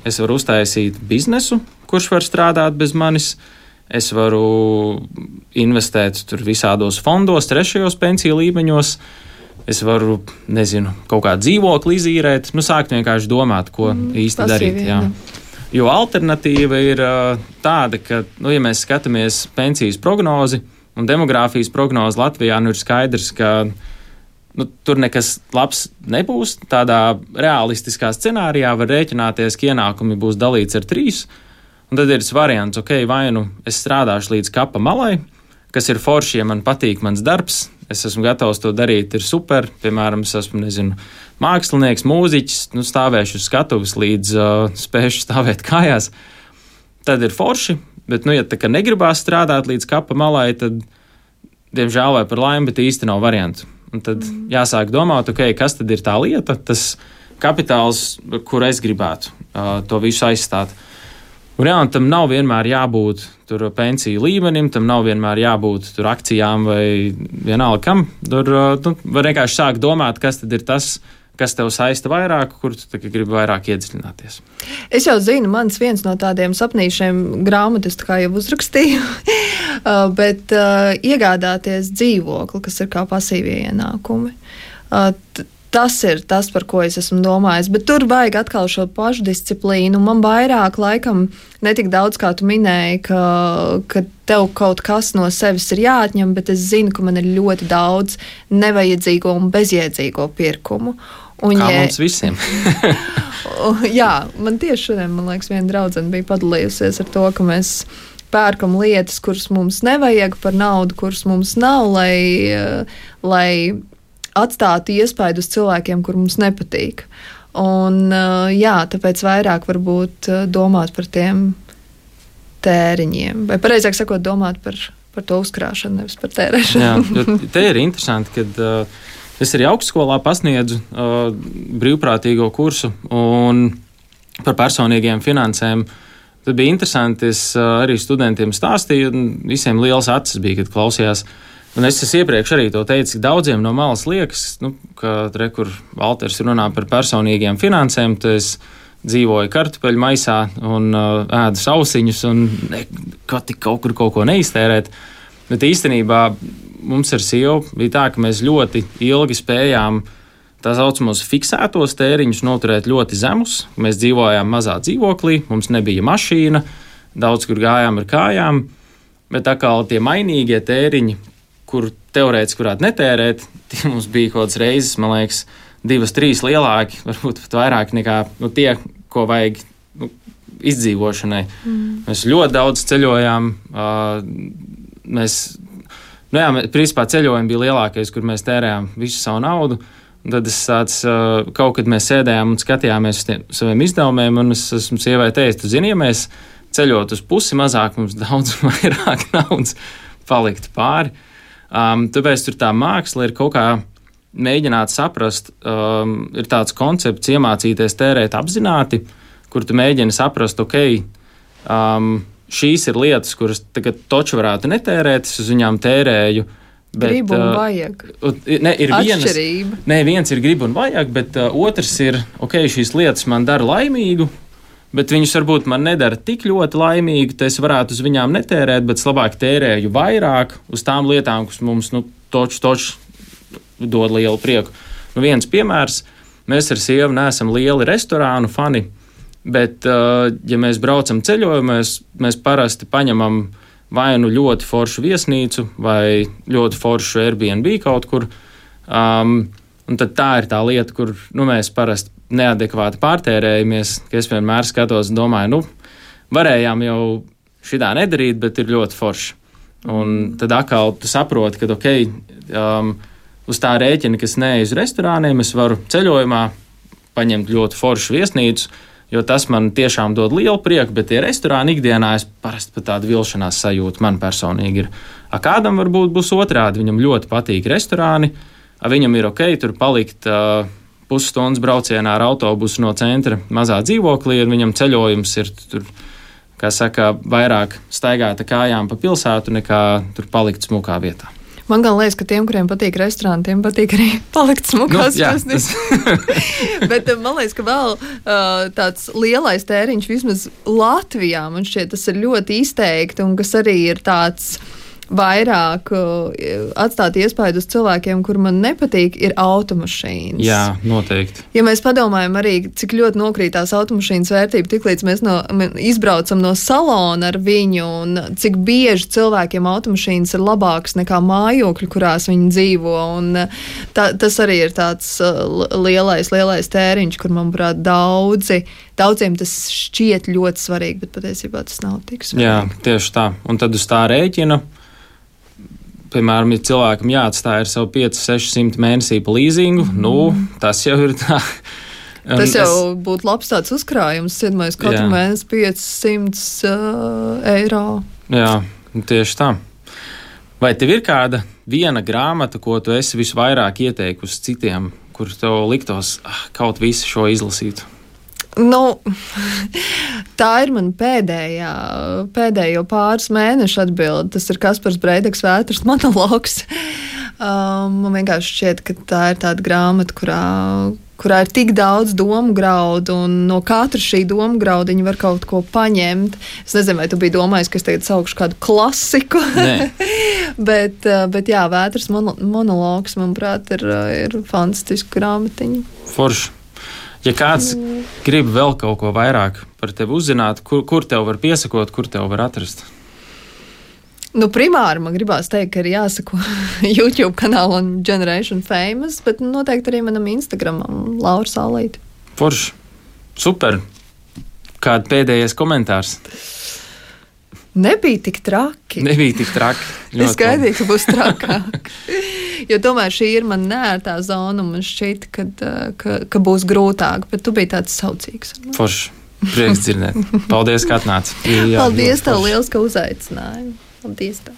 es varu uztaisīt biznesu, kurš var strādāt bez manis, es varu investēt tur visādos fondos, trešajos pensiju līmeņos, es varu, kaut kā dzīvokli izīrēt, sākt vienkārši domāt, ko īsti darīt. Jā. Jo alternatīva ir tāda, ka, ja mēs skatāmies pensijas prognozi un demogrāfijas prognozi Latvijā, ir skaidrs, ka tur nekas labs nebūs. Tādā realistiskā scenārijā var rēķināties, ka ienākumi būs dalīts ar 3. Un tad ir variants, vai es strādāšu līdz kapa malai, kas ir forši, ja man patīk mans darbs, es esmu gatavs to darīt, ir super. Piemēram, es esmu, mākslinieks, mūziķis, stāvēšu uz skatuves līdz spēšu stāvēt kājās. Tad ir forši, bet, ja tā kā negribās strādāt līdz kapa malai, tad, diemžēl vai par laimi, bet īsti nav variantu. Un tad jāsāk domāt, kas tad ir tā lieta, tas kapitāls, kur es gribētu to visu aizstāt. Un tam nav vienmēr jābūt tur pensiju līmenim, tam nav vienmēr jābūt tur akcijām vai vienalga kam. Tur var vienkārši sākt domāt, kas tad ir tas, kas tev saista vairāk, kur tu gribi vairāk iedziļināties. Es jau zinu, mans viens no tādiem sapnīšiem grāmatas kā jau uzrakstīju, bet iegādāties dzīvokli, kas ir kā pasīvie ienākumi. Tas ir tas, par ko es esmu domājis, bet tur vajag atkal šo pašdisciplīnu. Man vairāk laikam netik daudz, kā tu minēji, ka tev kaut kas no sevis ir jāatņem, bet es zinu, ka man ir ļoti daudz nevajadzīgo un bezjēdzīgo pirkumu. Un, kā mums visiem. Jā, man tieši šodien, man liekas, viena draudzene bija padalījusies ar to, ka mēs pērkam lietas, kuras mums nevajag par naudu, kuras mums nav, lai atstātu iespaidu uz cilvēkiem, kur mums nepatīk. Un, tāpēc vairāk varbūt domāt par tiem tēriņiem. Vai pareizāk sakot, domāt par to uzkrāšanu, nevis par tērēšanu. Jā, te ir interesanti, kad es arī augstskolā pasniedzu brīvprātīgo kursu un par personīgiem finansēm. Tad bija interesanti, es arī studentiem stāstīju, un visiem liels acis bija, kad klausījās. Un es iepriekš arī to teicu, ka daudziem no malas liekas, ka kur Valters runā par personīgiem finansēm, tad es dzīvoju kartupeļu maisā un ēdu sausiņus un kaut kur kaut ko neiztērēt. Bet īstenībā mums ar sievu bija tā, ka mēs ļoti ilgi spējām tā saucamos fiksētos tēriņus noturēt ļoti zemus. Mēs dzīvojām mazā dzīvoklī, mums nebija mašīna, daudz kur gājām ar kājām, bet atkal tie mainīgie tēriņi, kur teorētiski varētu netērēt, tie mums bija kaut kādas reizes, man liekas, 2-3 lielāki, varbūt pat vairāk nekā tie, ko vajag izdzīvošanai. Mēs ļoti daudz ceļojām. Principā ceļojumi bija lielākais, kur mēs tērējām visu savu naudu. Un tad kaut kad mēs sēdējām un skatījāmies uz saviem izdevumiem, un es esmu sievai teicis, tu zini, ja mēs ceļot uz pusi mazāk, mums daudz vairāk naudas paliktu pāri. Tāpēc tur tā māksla ir kaut kā mēģināt saprast, ir tāds koncepts iemācīties tērēt apzināti, kur tu mēģini saprast, šīs ir lietas, kuras tagad toču varētu netērēt, es uz viņām tērēju. Bet, gribu un vajag. Viens ir gribu un vajag, bet otrs ir, šīs lietas man dara laimīgu, bet viņus varbūt man nedara tik ļoti laimīgi, ka es varētu uz viņām netērēt, bet es labāk tērēju vairāk uz tām lietām, kas mums toču dod lielu prieku. Viens piemērs, mēs ar sievu neesam lieli restorānu fani, bet, ja mēs braucam ceļojumos, mēs parasti paņemam vai ļoti foršu viesnīcu vai ļoti foršu Airbnb kaut kur, un tad tā ir tā lieta, kur mēs parasti neadekvāti pārtērējamies, ka es vienmēr skatos un domāju, varējām jau šitā nedarīt, bet ir ļoti forši. Un tad atkal tu saproti, ka uz tā rēķina, kas neej uz restorāniem, es varu ceļojumā paņemt ļoti foršu viesnīcu, jo tas man tiešām dod lielu prieku, bet tie restorāni ikdienā es parasti pat tādu vilšanās sajūtu man personīgi ir. Kādam varbūt būs otrādi, viņam ļoti patīk restorāni, viņam ir tur palikt pusstundas braucienā ar autobusu no centra mazā dzīvoklī, un viņam ceļojums ir tur, kā saka, vairāk staigāt kājām pa pilsētu, nekā tur palikt smukā vietā. Man gan liekas, ka tiem, kuriem patīk restorāni, tiem patīk arī palikt smukās krastīs. Bet man liekas, ka vēl tāds lielais tēriņš vismaz Latvijā, man šķiet, tas ir ļoti izteikti, un kas arī ir tāds vairāk atstāt iespaidu uz cilvēkiem, kur man nepatīk, ir automašīnas. Jā, noteikti. Ja mēs padomājam arī, cik ļoti nokrītās automašīnas vērtība, tiklīdz mēs izbraucam no salona ar viņu, un cik bieži cilvēkiem automašīnas ir labākas nekā mājokļi, kurās viņi dzīvo, un tas arī ir tāds lielais tēriņš, kur, manuprāt, daudziem tas šķiet ļoti svarīgi, bet patiesībā tas nav tik svarīgi. Jā, tieši tā. Un tad uz tā rēķina, piemēram, ja cilvēkam jāatstāj ar savu 500-600 mēnesī pa līzingu, tas jau ir tā. Tas jau būtu labs tāds uzkrājums, cienmais katru mēnesi 500 eiro. Jā, tieši tā. Vai tev ir kāda viena grāmata, ko tu esi visvairāk ieteikusi citiem, kur tev liktos kaut visu šo izlasītu? Tā ir man pēdējo pāris mēnešu atbilde. Tas ir Kaspars Breideks Vētras monologs. Man vienkārši šķiet, ka tā ir tāda grāmata, kurā ir tik daudz domu graudu, un no katra šī domu graudiņa var kaut ko paņemt. Es nezinu, vai tu biji domājis, ka es tagad saukšu kādu klasiku. bet jā, Vētras monologs, manuprāt, ir fantastiska grāmatiņa. Forši. Ja kāds grib vēl kaut ko vairāk par tevi uzzināt, kur tev var piesakot, kur tev var atrast? Primāri man gribās teikt, ka ir jāsako YouTube kanālam Generation Famous, bet noteikti arī manam Instagramam Laura Saulīte. Forši. Super. Kāda pēdējais komentārs? Nebija tik traki. Es gaidīju, ka būs trakāk. Jo tomēr šī ir man neērtā zona, un man šķiet, ka būs grūtāk, bet tu biji tāds saucīgs. Forši. Prieks dzirdēt. Paldies, ka atnāci. Paldies tev liels, ka uzaicināji. Paldies tev.